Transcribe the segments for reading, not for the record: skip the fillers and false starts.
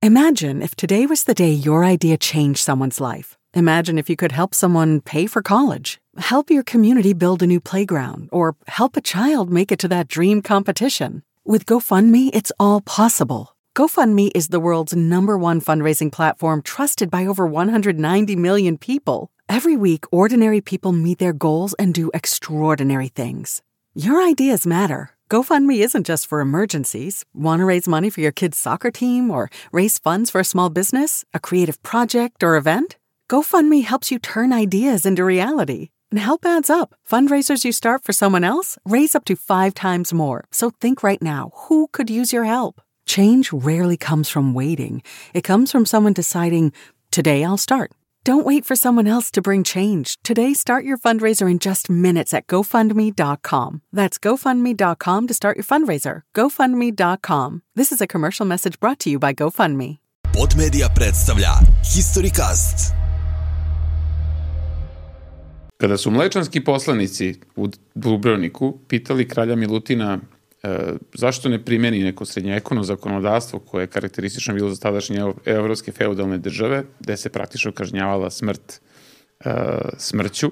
Imagine if today was the day your idea changed someone's life. Imagine if you could help someone pay for college, help your community build a new playground, or help a child make it to that dream competition. With GoFundMe, it's all possible. GoFundMe is the world's #1 fundraising platform trusted by over 190 million people. Every week, ordinary people meet their goals and do extraordinary things. Your ideas matter. GoFundMe isn't just for emergencies. Want to raise money for your kid's soccer team or raise funds for a small business, a creative project, or event? GoFundMe helps you turn ideas into reality. And help adds up. Fundraisers you start for someone else raise up to 5 times more. So think right now, who could use your help? Change rarely comes from waiting. It comes from someone deciding, today I'll start. Don't wait for someone else to bring change. Today, start your fundraiser in just minutes at GoFundMe.com. That's GoFundMe.com to start your fundraiser. GoFundMe.com. This is a commercial message brought to you by GoFundMe. Podmedia predstavlja Historycast. Kada su mlečanski poslanici u Dubrovniku pitali kralja Milutina zašto ne primjeni neko srednjevekovno zakonodavstvo koje je karakteristično bilo za tadašnje evropske feudalne države, gde se praktično kažnjavala smrt smrću,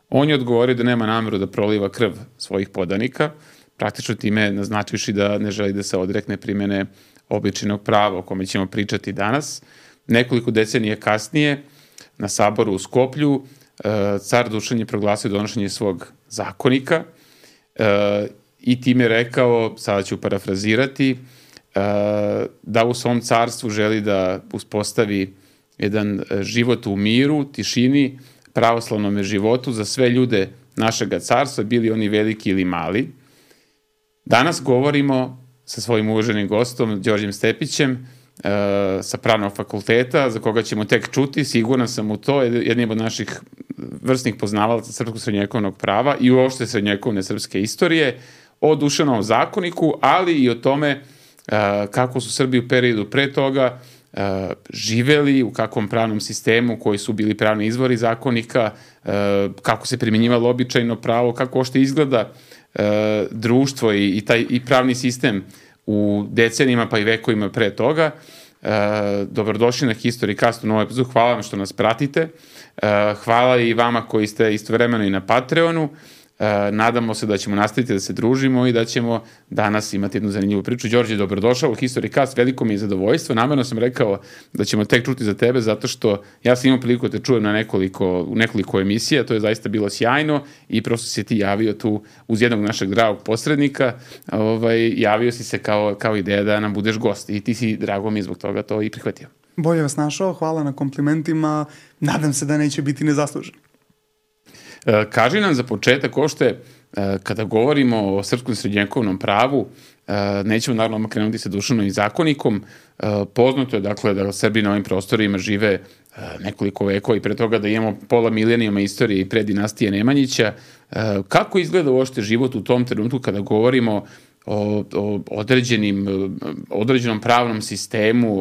on je odgovorio da nema nameru da proliva krv svojih podanika, praktično time naznačivši da ne želi da se odrekne primjene običajnog prava o kome ćemo pričati danas. Nekoliko decenija kasnije, na saboru u Skoplju, car Dušan je proglasio donošenje svog zakonika i time je rekao, sada ću parafrazirati, da u svom carstvu želi da uspostavi jedan život u miru, tišini, pravoslavnom životu za sve ljude našega carstva, bili oni veliki ili mali. Danas govorimo sa svojim uvaženim gostom, Đorđem Stepićem, sa Pravnog fakulteta, za koga ćemo tek čuti, siguran sam u to, jednim od naših vrsnih poznavalaca srpskog srednjevekovnog prava i uopšte srednjevekovne srpske istorije, o Dušanovom zakoniku, ali i o tome kako su Srbi u periodu pre toga živeli, u kakvom pravnom sistemu, koji su bili pravni izvori zakonika, kako se primjenjivalo običajno pravo, kako ošte izgleda društvo i pravni sistem u decenijima pa i vekovima pre toga. Dobrodošli na Historycast u novoj epizodu. Hvala vam što nas pratite. Hvala i vama koji ste istovremeno i na Patreonu. Nadamo se da ćemo nastaviti da se družimo i da ćemo danas imati jednu zanimljivu priču. Đorđe, dobrodošao u Historycast, veliko mi je zadovoljstvo. Namerno sam rekao da ćemo tek čuti za tebe, zato što ja sam imao priliku da te čujem u nekoliko emisija, to je zaista bilo sjajno i prosto si ti javio tu uz jednog našeg dragog posrednika, javio si se kao ideja da nam budeš gost i ti si, drago mi, zbog toga to i prihvatio. Bolje vas našao, hvala na komplimentima, nadam se da neće biti nezaslužen. Kaži nam za početak ošte, kada govorimo o srpskom srednjevekovnom pravu, nećemo naravno krenuti sa Dušanovim zakonikom, poznato je dakle da Srbi na ovim prostorima žive nekoliko vekova i pre toga da imamo pola milenijuma istorije i pre dinastije Nemanjića. Kako izgleda uopšte život u tom trenutku kada govorimo o određenom pravnom sistemu,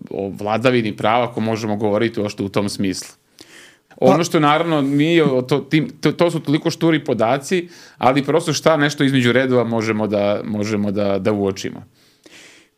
o vladavini prava, ako možemo govoriti uopšte u tom smislu? Ono što naravno nije, to su toliko šturi podaci, ali prosto šta nešto između redova možemo da uočimo.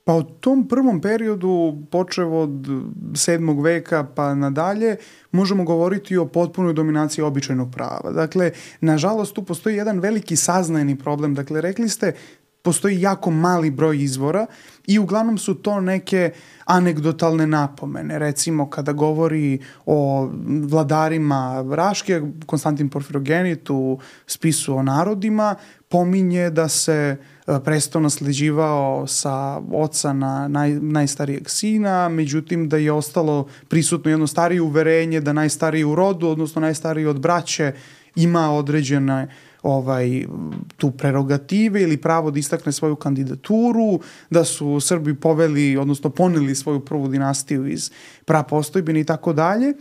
Pa u tom prvom periodu, počev od 7. veka pa nadalje, možemo govoriti o potpunoj dominaciji običajnog prava. Dakle, nažalost, tu postoji jedan veliki saznajni problem. Dakle, rekli ste, postoji jako mali broj izvora i uglavnom su to neke anegdotalne napomene. Recimo, kada govori o vladarima Raške, Konstantin Porfirogenit u spisu o narodima, pominje da se presto nasleđivao sa oca na najstarijeg sina, međutim da je ostalo prisutno jedno starije uverenje da najstariji u rodu, odnosno najstariji od braće, ima određene tu prerogative ili pravo da istakne svoju kandidaturu, da su Srbi poveli, odnosno poneli svoju prvu dinastiju iz prapostojbine i tako dalje.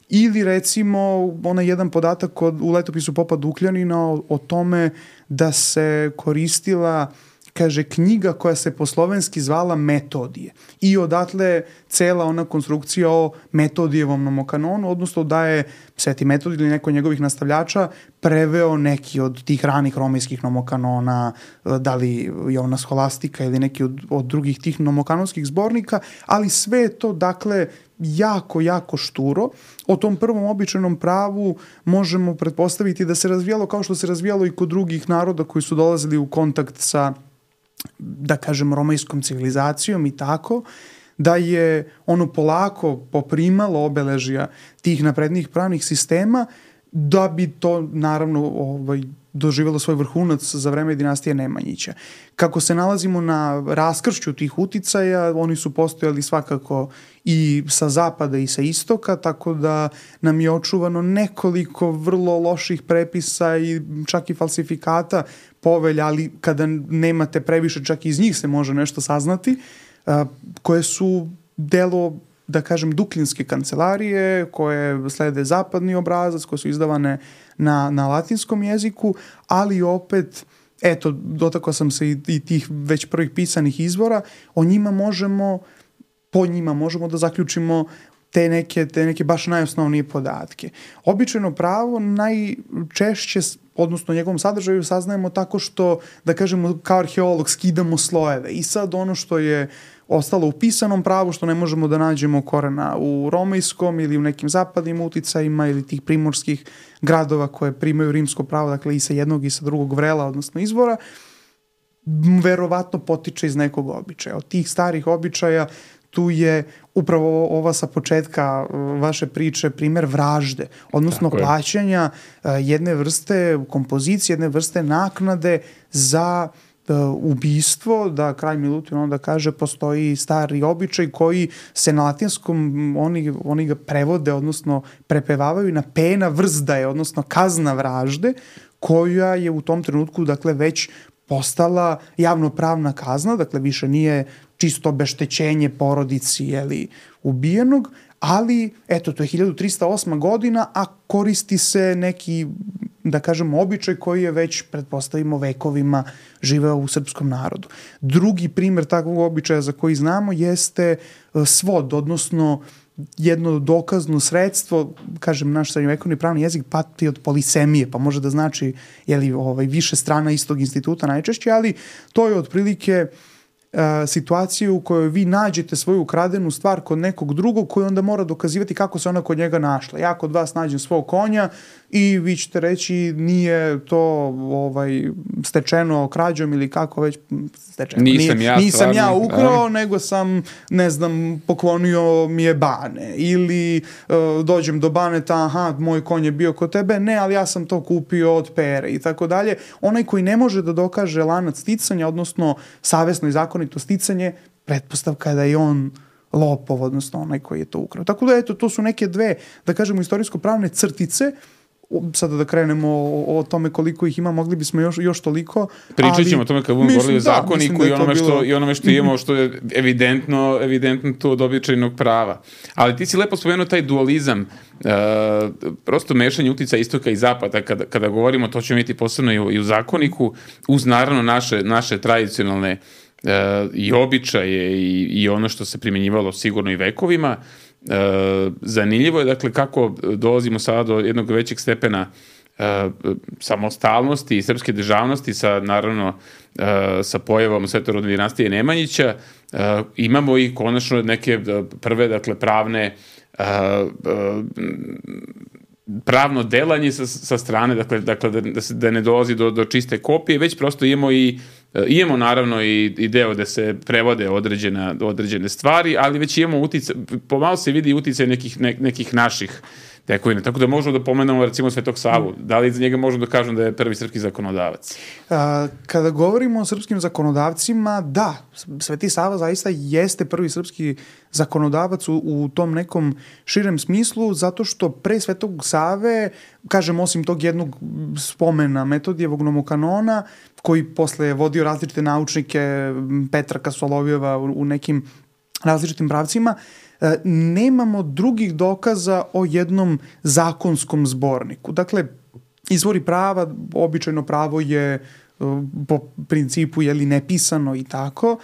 Ili recimo onaj jedan podatak u letopisu popa Dukljanina o tome da se koristila kaže, knjiga koja se po slovenski zvala Metodije. I odatle cela ona konstrukcija o Metodijevom nomokanonu, odnosno da je Sveti Metodij ili neko njegovih nastavljača preveo neki od tih ranih romejskih nomokanona, da li Jovana Scholastika ili neki od drugih tih nomokanonskih zbornika, ali sve je to, dakle, jako, jako šturo. O tom prvom običajnom pravu možemo pretpostaviti da se razvijalo kao što se razvijalo i kod drugih naroda koji su dolazili u kontakt sa, da kažem, romejskom civilizacijom i tako, da je ono polako poprimalo obeležja tih naprednih pravnih sistema, da bi to naravno doživjelo svoj vrhunac za vreme dinastije Nemanjića. Kako se nalazimo na raskršću tih uticaja, oni su postojali svakako i sa zapada i sa istoka, tako da nam je očuvano nekoliko vrlo loših prepisa i čak i falsifikata povelja, ali kada nemate previše, čak i iz njih se može nešto saznati, koje su delo, da kažem, duklinske kancelarije, koje slede zapadni obrazac, koje su izdavane na latinskom jeziku, ali opet, eto, dotakao sam se i tih već prvih pisanih izvora, po njima možemo da zaključimo te neke baš najosnovnije podatke. Običajno pravo najčešće, odnosno njegovom sadržaju, saznajemo tako što, da kažemo, kao arheolog skidamo slojeve i sad ono što je ostalo u pisanom pravu, što ne možemo da nađemo korena u romejskom ili u nekim zapadnim uticajima ili tih primorskih gradova koje primaju rimsko pravo, dakle i sa jednog i sa drugog vrela, odnosno izvora, verovatno potiče iz nekog običaja. Od tih starih običaja tu je upravo ova sa početka vaše priče primer vražde, odnosno plaćanja jedne vrste kompozicije, jedne vrste naknade za ubistvo, da kralj Milutin onda kaže postoji stari običaj koji se na latinskom oni ga prevode, odnosno prepevavaju na pena vrzdaje, odnosno kazna vražde, koja je u tom trenutku, dakle, već postala javnopravna kazna, dakle više nije čisto obeštećenje porodici ubijenog, ali eto, to je 1308. godina, a koristi se neki, da kažemo, običaj koji je već, pretpostavimo, vekovima živeo u srpskom narodu. Drugi primer takvog običaja za koji znamo jeste svod, odnosno jedno dokazno sredstvo, kažem, naš srednjovekovni pravni jezik pati od polisemije, pa može da znači više strana istog instituta najčešće, ali to je otprilike situacije u kojoj vi nađete svoju ukradenu stvar kod nekog drugog koji onda mora dokazivati kako se ona kod njega našla. Ja kod vas nađem svog konja i vi ćete reći nije to stečeno krađom ili kako već stečeno. Nisam ja ukrao, nego sam, ne znam, poklonio mi je Bane. Ili dođem do Baneta, aha, moj konj je bio kod tebe, ne, ali ja sam to kupio od Pere i tako dalje. Onaj koji ne može da dokaže lanac sticanja, odnosno savesno i zakonito sticanje, pretpostavka je da je on lopov, odnosno onaj koji je to ukrao. Tako da, eto, to su neke dve, da kažemo, istorijsko-pravne crtice. Sada da krenemo o tome koliko ih ima, mogli bismo još toliko. Pričat ćemo o tome kad budemo govorili o zakoniku i onome što imamo, što je evidentno to od običajnog prava. Ali ti si lepo spomenuo taj dualizam, prosto mešanje uticaja istoka i zapada. Kada govorimo, to ćemo imati posebno i u zakoniku, uz naravno naše tradicionalne i običaje i ono što se primjenjivalo sigurno i vekovima. Zanimljivo je, dakle, kako dolazimo sada do jednog većeg stepena samostalnosti i srpske državnosti sa pojavom svetorodne dinastije Nemanjića. Imamo i konačno neke prve, dakle, pravno delanje sa strane, dakle da ne dolazi do čiste kopije, već prosto imamo naravno i deo da se prevode određene stvari, ali već imamo uticaj, pomalo se vidi uticaj nekih naših tekovina. Tako da možemo da pomenemo recimo Svetog Savu. Da li za njega možemo da kažem da je prvi srpski zakonodavac? Kada govorimo o srpskim zakonodavcima, da, Sveti Sava zaista jeste prvi srpski zakonodavac u tom nekom širem smislu, zato što pre Svetog Save, kažem, osim tog jednog spomena Metodijevog nomokanona, koji posle je vodio različite naučnike, Petra Solovjeva u nekim različitim pravcima, nemamo drugih dokaza o jednom zakonskom zborniku. Dakle, izvori prava, običajno pravo je po principu nepisano i tako.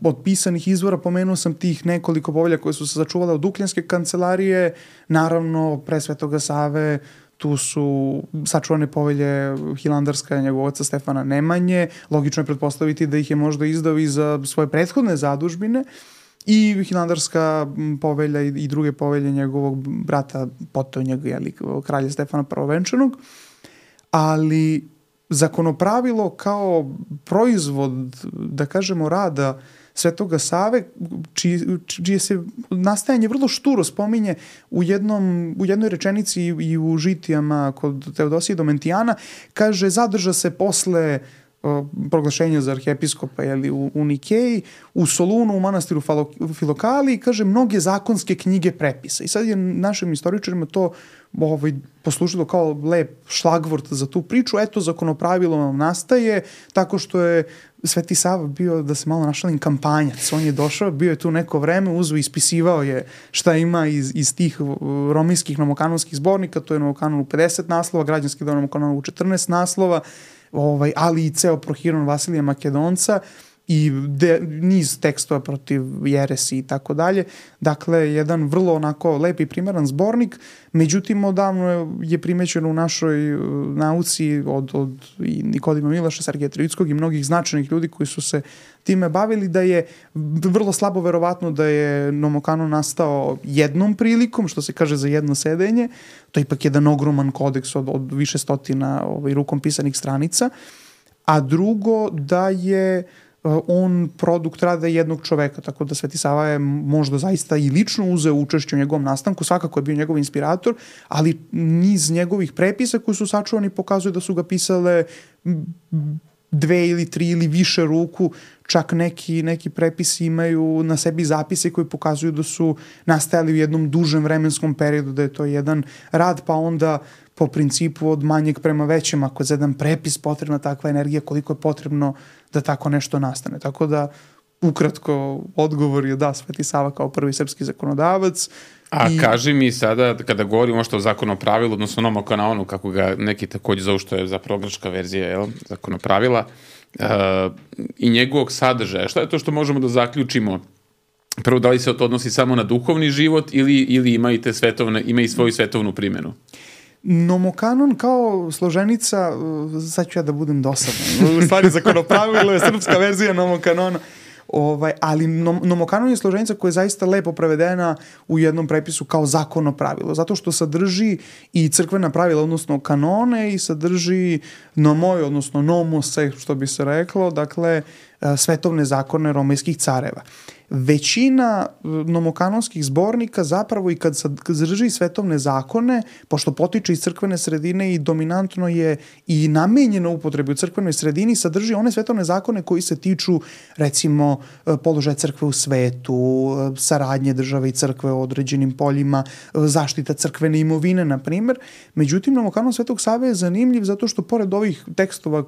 Od pisanih izvora pomenuo sam tih nekoliko povelja koje su se sačuvale od Ukljanske kancelarije, naravno pre Svetoga Save tu su sačuvane povelje Hilandarska njegovog oca Stefana Nemanje, logično je pretpostaviti da ih je možda izdao i za svoje prethodne zadužbine, i Hilandarska povelja i druge povelje njegovog brata potonjeg, kralja Stefana Prvovenčanog, ali zakonopravilo kao proizvod, da kažemo, rada Svetoga Save, čije se nastajanje vrlo šturo spominje u jednoj rečenici i u žitijama kod Teodosije Domentijana, kaže, zadrža se posle proglašenja za arhijepiskopa u Nikeji, u Solunu, u manastiru Filokali, kaže, mnoge zakonske knjige prepisa. I sad je našim istoričarima to poslužilo kao lep šlagvort za tu priču. Eto, zakonopravilo vam nastaje tako što je Sveti Sava bio, da se malo našalim, kampanjac. On je došao, bio je tu neko vreme, uzeo, ispisivao je šta ima iz tih romijskih nomokanonskih zbornika, to je Nomokanon u 50 naslova, građanski Nomokanon u 14 naslova, ali i ceo Prohiron Vasilija Makedonca i niz tekstova protiv jeresi i tako dalje. Dakle, jedan vrlo onako lep i primeran zbornik, međutim odavno je primećeno u našoj nauci od Nikodima Milaša, Sergeja Trivitskog i mnogih značajnih ljudi koji su se time bavili, da je vrlo slabo verovatno da je Nomokanon nastao jednom prilikom, što se kaže za jedno sedenje. To je ipak jedan ogroman kodeks od više stotina rukom pisanih stranica. A drugo, da je on produkt rada jednog čoveka, tako da Sveti Sava je možda zaista i lično uzeo učešće u njegovom nastanku, svakako je bio njegov inspirator, ali niz njegovih prepisa koji su sačuvani pokazuju da su ga pisale 2 ili 3 ili više ruku, čak neki prepisi imaju na sebi zapise koji pokazuju da su nastajali u jednom dužem vremenskom periodu, da je to jedan rad, pa onda po principu od manjeg prema većem, ako je za jedan prepis potrebna takva energija, koliko je potrebno da tako nešto nastane. Tako da, ukratko, odgovor je da, Sveti Sava kao prvi srpski zakonodavac. Kaži mi sada, kada govorimo što o zakonopravilu, odnosno Nomokanonu, kako ga neki takođe zovu, što je zapravo grčka verzija zakonopravila, i njegovog sadržaja, šta je to što možemo da zaključimo? Prvo, da li se to odnosi samo na duhovni život ili ima i svoju svetovnu primjenu? Nomokanon kao složenica, sad ću ja da budem dosadan, u stvari zakonopravilo je srpska verzija Nomokanona, ali Nomokanon je složenica koja je zaista lepo prevedena u jednom prepisu kao zakonopravilo, zato što sadrži i crkvena pravila, odnosno kanone, i sadrži nomoj, odnosno nomose, što bi se reklo, dakle, svetovne zakone romejskih careva. Većina nomokanonskih zbornika zapravo i kad sadrži svetovne zakone, pošto potiče iz crkvene sredine i dominantno je i namenjeno upotrebi u crkvenoj sredini, sadrži one svetovne zakone koji se tiču, recimo, položaja crkve u svetu, saradnje države i crkve u određenim poljima, zaštita crkvene imovine, na primer. Međutim, Nomokanon Svetog Save je zanimljiv zato što pored ovih tekstova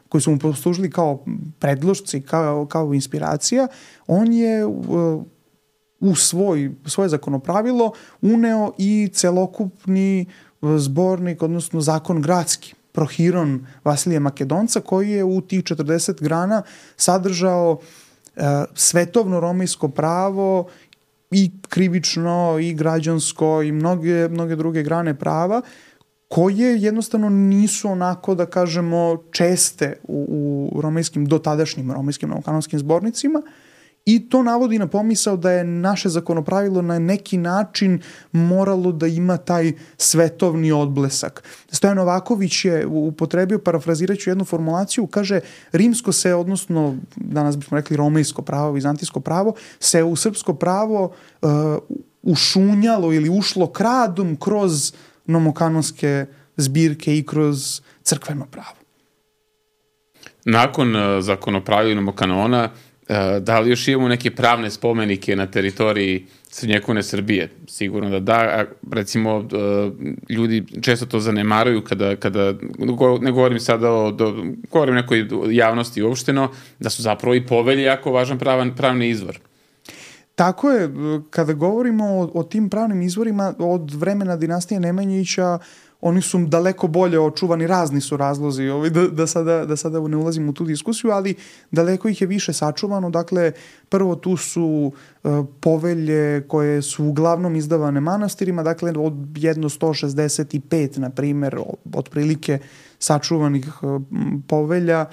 koji su mu poslužili kao predlošci, kao inspiracija, on je u svoje zakonopravilo uneo i celokupni zbornik, odnosno zakon gradski, Prohiron Vasilija Makedonca, koji je u tih 40 grana sadržao svetovno romejsko pravo i krivično i građansko i mnoge druge grane prava, koje jednostavno nisu onako, da kažemo, česte u dotadašnjim romejskim nomokanonskim zbornicima, i to navodi na pomisao da je naše zakonopravilo na neki način moralo da ima taj svetovni odblesak. Stojan Novaković je upotrebio, parafrazirajući jednu formulaciju, kaže, rimsko se, odnosno danas bismo rekli romejsko pravo, vizantijsko pravo, se u srpsko pravo ušunjalo ili ušlo kradom kroz nomokanonske zbirke i kroz crkveno pravo. Nakon zakonopravila Nomokanona, da li još imamo neke pravne spomenike na teritoriji srednjevekovne Srbije? Sigurno da da. Recimo, ljudi često to zanemaruju kada ne govorim sada govorim o nekoj javnosti uopšteno, da su zapravo i povelje jako važan pravni izvor. Tako je, kada govorimo o tim pravnim izvorima od vremena dinastije Nemanjića, oni su daleko bolje očuvani, razni su razlozi, da sada ne ulazim u tu diskusiju, ali daleko ih je više sačuvano. Dakle, prvo tu su povelje koje su uglavnom izdavane manastirima, dakle od jedno 165, na primjer, otprilike sačuvanih povelja,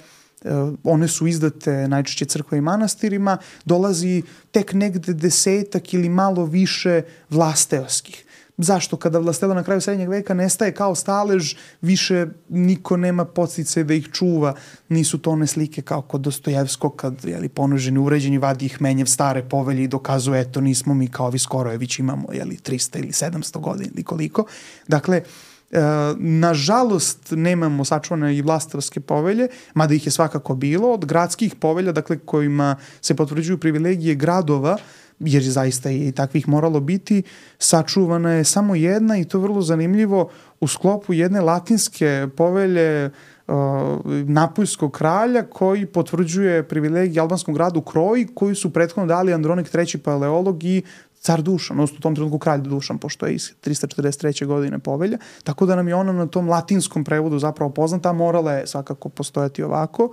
one su izdate najčešće crkva i manastirima, dolazi tek negde 10 ili malo više vlasteoskih. Zašto? Kada vlastela na kraju srednjeg veka nestaje kao stalež, više niko nema podsticaj da ih čuva. Nisu to one slike kao kod Dostojevskog, kad ponoženi, uređeni, vadi ih Menjev stare povelje i dokazuje, eto, nismo mi kao ovi Skorojević, imamo 300 ili 700 godina ili koliko. Dakle, nažalost nemamo sačuvane i vlastelske povelje, mada ih je svakako bilo. Od gradskih povelja, dakle, kojima se potvrđuju privilegije gradova, jer zaista je i takvih moralo biti, sačuvana je samo jedna, i to vrlo zanimljivo, u sklopu jedne latinske povelje Napoljskog kralja, koji potvrđuje privilegije albanskom gradu Kroji, koji su prethodno dali Andronik III Paleolog i car Dušan, odnosno u tom trenutku kralj Dušan, pošto je iz 343. godine povelja, tako da nam je ona na tom latinskom prevodu zapravo poznata, morala je svakako postojati ovako.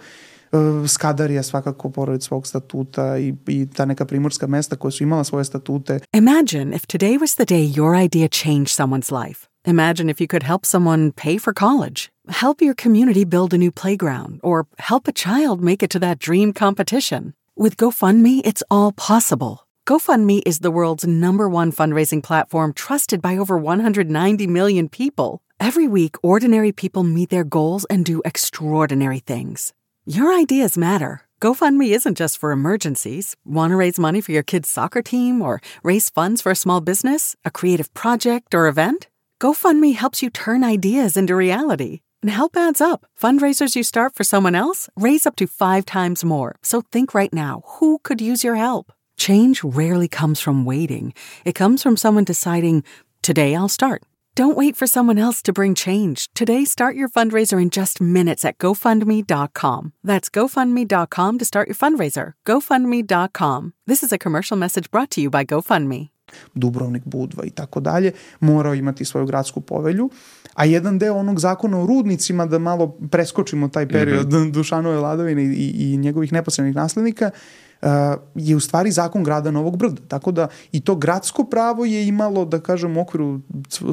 Skadarija svakako pored svog statuta i ta neka primorska mesta koja su imala svoje statute. Imagine if today was the day your idea changed someone's life. Imagine if you could help someone pay for college, help your community build a new playground, or help a child make it to that dream competition. With GoFundMe, it's all possible. GoFundMe is the world's #1 fundraising platform trusted by over 190 million people. Every week, ordinary people meet their goals and do extraordinary things. Your ideas matter. GoFundMe isn't just for emergencies. Want to raise money for your kid's soccer team or raise funds for a small business, a creative project, or event? GoFundMe helps you turn ideas into reality. And help adds up. Fundraisers you start for someone else raise up to 5 times more. So think right now, who could use your help? Change rarely comes from waiting. It comes from someone deciding, today I'll start. Don't wait for someone else to bring change. Today, start your fundraiser in just minutes at GoFundMe.com. That's GoFundMe.com to start your fundraiser. GoFundMe.com. This is a commercial message brought to you by GoFundMe. Dubrovnik, Budva i tako dalje, morao imati svoju gradsku povelju, a jedan deo onog zakona o rudnicima, da malo preskočimo taj period Dušanove vladavine i njegovih neposrednih naslednika, je u stvari zakon grada Novog Brda. Tako da i to gradsko pravo je imalo, da kažem, u okviru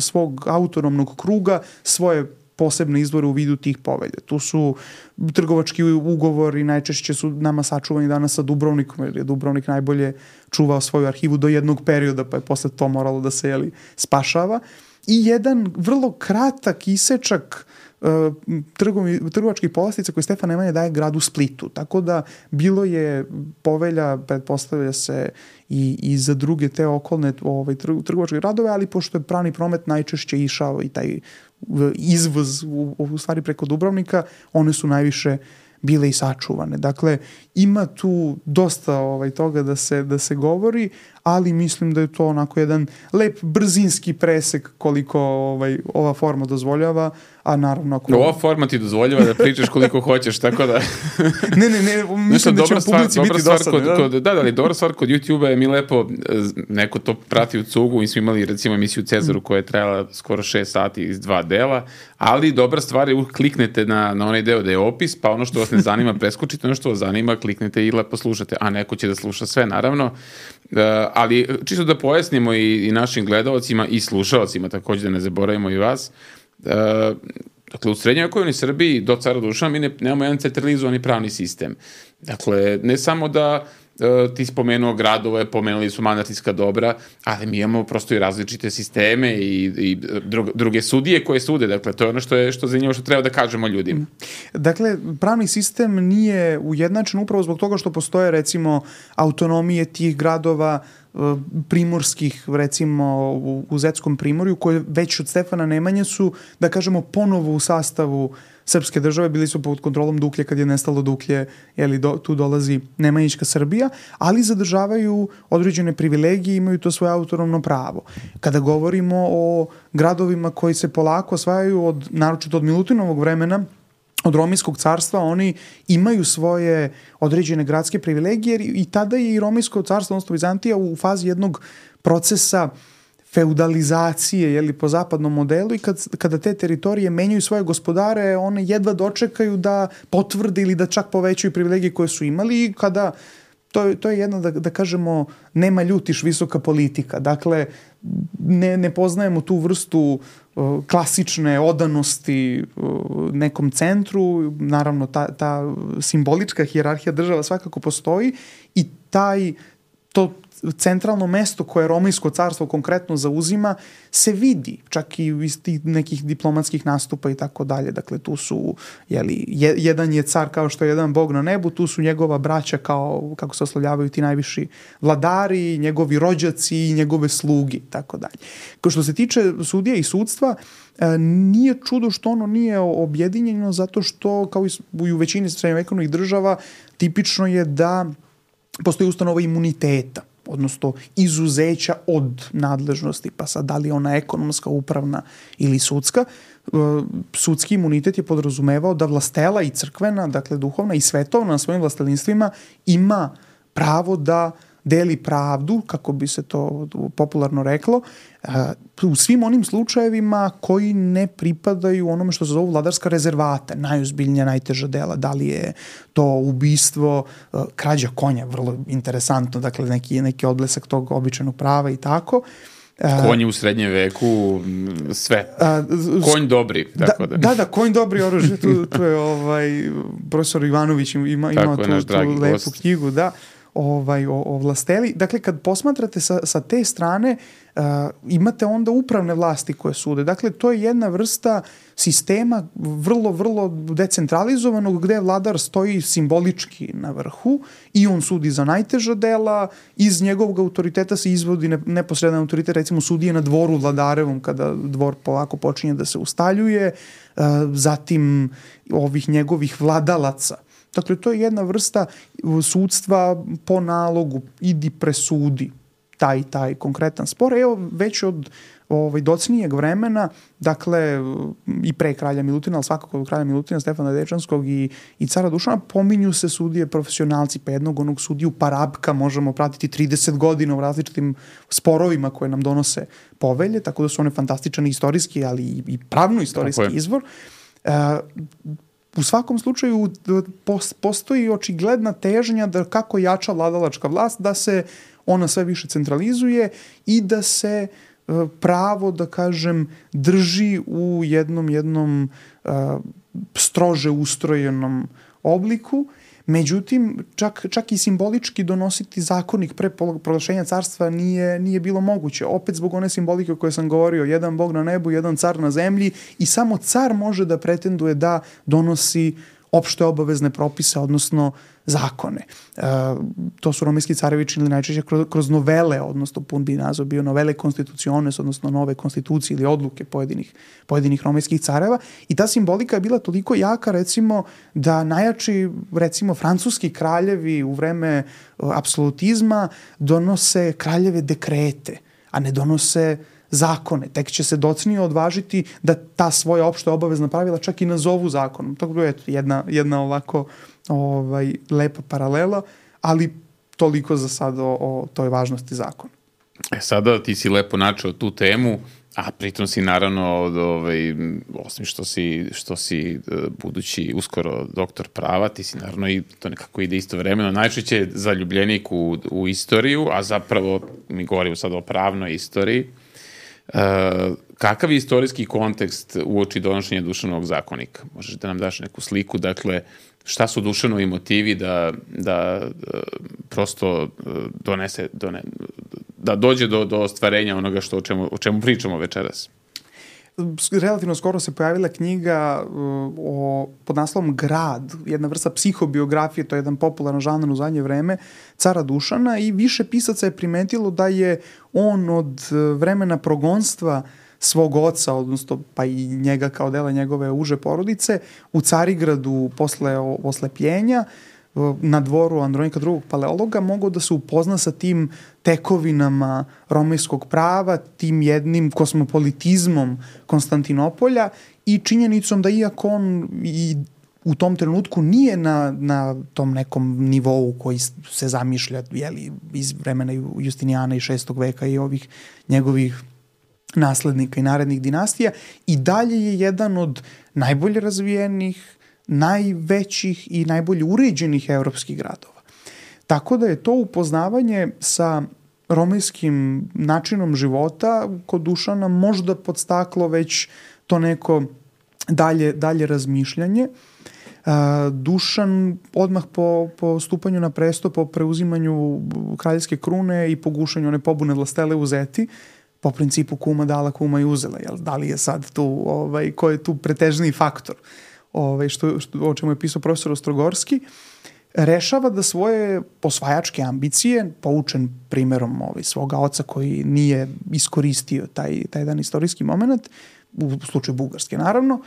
svog autonomnog kruga svoje posebne izvore u vidu tih povelja. Tu su trgovački ugovori, najčešće su nama sačuvani danas sa Dubrovnikom, jer je Dubrovnik najbolje čuvao svoju arhivu do jednog perioda, pa je posle to moralo da se spašava. I jedan vrlo kratak isečak trgovačkih povlastica koje Stefan Nemanja daje gradu Splitu. Tako da bilo je povelja, pretpostavlja se i za druge te okolne trgovačke gradove, ali pošto je pravni promet najčešće išao i taj izvoz u stvari preko Dubrovnika, one su najviše bile i sačuvane. Dakle, ima tu dosta toga da se govori, ali mislim da je to onako jedan lep brzinski presek koliko ova forma dozvoljava, a naravno ova forma ti dozvoljava da pričaš koliko hoćeš, tako da ne, mislim da će u publici biti dosadno. Ali dobra stvar kod YouTube-a je mi lepo, neko to prati u cugu, mi smo imali recimo emisiju Cezaru koja je trajala skoro 6 sati iz 2 dela, ali dobra stvar je kliknete na onaj deo da je opis, pa ono što vas ne zanima preskočite, ono što vas zanima kliknete i lepo slušate, a neko će da sluša sve naravno. Ali čisto da pojasnimo i našim gledalcima i slušalcima, također da ne zaboravimo i vas. Dakle, u srednjovekovnoj Srbiji do cara Dušana mi nemamo jedan centralizovani pravni sistem. Dakle, ne samo da ti spomenuo gradove, pomenuli su manastirska dobra, ali mi imamo prosto i različite sisteme i druge sudije koje sude. Dakle, to je ono što zanimljivo što treba da kažemo ljudima. Dakle, pravni sistem nije ujednačen upravo zbog toga što postoje, recimo, autonomije tih gradova primorskih, recimo u Zetskom primorju, koje već od Stefana Nemanje su, da kažemo, ponovo u sastavu srpske države, bili su pod kontrolom Duklje kad je nestalo Duklje, tu dolazi Nemanjićka Srbija, ali zadržavaju određene privilegije i imaju to svoje autonomno pravo. Kada govorimo o gradovima koji se polako osvajaju naročito od Milutinovog vremena, od Romijskog carstva, oni imaju svoje određene gradske privilegije i tada je i Romijsko carstvo, odnosno Vizantija, u fazi jednog procesa feudalizacije, po zapadnom modelu, i kada te teritorije menjaju svoje gospodare, one jedva dočekaju da potvrde ili da čak povećaju privilegije koje su imali, i kada to je jedna, da kažemo, nema ljutiš visoka politika. Dakle, ne poznajemo tu vrstu klasične odanosti nekom centru. Naravno, ta simbolička hijerarhija država svakako postoji, i to centralno mesto koje Romijsko carstvo konkretno zauzima se vidi, čak i iz tih nekih diplomatskih nastupa i tako dalje. Dakle, tu su, jedan je car kao što je jedan bog na nebu, tu su njegova braća kao, kako se oslovljavaju ti najviši vladari, njegovi rođaci i njegove slugi, tako dalje. Što se tiče sudija i sudstva, nije čudo što ono nije objedinjeno, zato što, kao i u većini srednjovekovnih država, tipično je da postoji ustanova imuniteta, odnosno izuzeća od nadležnosti, pa sad da li je ona ekonomska, upravna ili sudska. Sudski imunitet je podrazumevao da vlastela i crkvena, dakle duhovna i svetovna na svojim vlastelinstvima ima pravo da deli pravdu, kako bi se to popularno reklo, u svim onim slučajevima koji ne pripadaju onome što se zovu vladarska rezervata, najozbiljnija, najteža dela, da li je to ubistvo, krađa konja, vrlo interesantno, dakle neki odblesak tog običajnog prava i tako. Konji u srednjem veku, sve. Konj dobri. Tako da, konj dobri oružje. Tu je profesor Ivanović ima tu lepu knjigu, da. O vlasteli. Dakle, kad posmatrate sa te strane, imate onda upravne vlasti koje sude. Dakle, to je jedna vrsta sistema vrlo, vrlo decentralizovanog, gde vladar stoji simbolički na vrhu i on sudi za najteža dela, iz njegovog autoriteta se izvodi neposredan autoritet, recimo sudije na dvoru vladarevom, kada dvor polako počinje da se ustaljuje, zatim ovih njegovih vladalaca. Dakle, to je jedna vrsta sudstva po nalogu, idi presudi taj konkretan spor. Evo, već od docnijeg vremena, dakle, i pre kralja Milutina, ali svakako od kralja Milutina, Stefana Dečanskog i cara Dušana, pominju se sudije profesionalci, pa jednog onog sudiju Parabka možemo pratiti 30 godina u različitim sporovima koje nam donose povelje, tako da su one fantastičan istorijski, ali i pravno-istorijski izvor. U svakom slučaju postoji očigledna težnja da kako jača vladalačka vlast, da se ona sve više centralizuje i da se pravo, da kažem, drži u jednom strože ustrojenom obliku. Međutim, čak i simbolički donositi zakonik pre proglašenja carstva nije bilo moguće. Opet zbog one simbolike o kojoj sam govorio, jedan bog na nebu, jedan car na zemlji, i samo car može da pretenduje da donosi opšte obavezne propise, odnosno zakone. To su romijski carevi činili najčešće kroz novele, odnosno pun bi naziv bio novele constituciones, odnosno nove konstitucije ili odluke pojedinih romijskih careva, i ta simbolika je bila toliko jaka, recimo, da najjači, recimo, francuski kraljevi u vreme apsolutizma donose kraljeve dekrete, a ne donose zakone. Tek će se docnije odvažiti da ta svoja opšta obavezna pravila čak i nazovu zakonom. To je jedna ovako lepa paralela, ali toliko za sad o toj važnosti zakona. Sada ti si lepo načeo tu temu, a pritom si naravno, osim što si budući uskoro doktor prava, ti si naravno i to nekako ide istovremeno, najčešće zaljubljenik u istoriju, a zapravo mi govorimo sad o pravnoj istoriji. Kakav je istorijski kontekst uoči donošenja Dušanovog zakonika? Možeš da nam daš neku sliku, dakle, šta su Dušanovi motivi da prosto da dođe do ostvarenja onoga o čemu pričamo večeras? Relativno skoro se pojavila knjiga pod naslovom Grad, jedna vrsta psihobiografije, to je jedan popularan žanr u zadnje vreme, cara Dušana, i više pisaca je primetilo da je on od vremena progonstva svog oca, odnosno pa i njega kao dela njegove uže porodice, u Carigradu posle oslepljenja, na dvoru Andronika II. Paleologa, mogao da se upozna sa tim tekovinama romejskog prava, tim jednim kosmopolitizmom Konstantinopolja i činjenicom da iako on i u tom trenutku nije na tom nekom nivou koji se zamišlja iz vremena Justinijana i 6. veka i ovih njegovih naslednika i narednih dinastija, i dalje je jedan od najbolje razvijenih, najvećih i najbolje uređenih evropskih gradova. Tako da je to upoznavanje sa romejskim načinom života kod Dušana možda podstaklo već to neko dalje razmišljanje. Dušan odmah po stupanju na presto, po preuzimanju kraljevske krune i po gušanju one pobune vlastele u Zeti, po principu kuma dala, kuma i uzela. Da li je sad tu, ko je tu pretežniji faktor, o čemu je pisao profesor Ostrogorski, rešava da svoje osvajačke ambicije, poučen primerom svoga oca koji nije iskoristio taj jedan istorijski moment, u slučaju Bugarske naravno,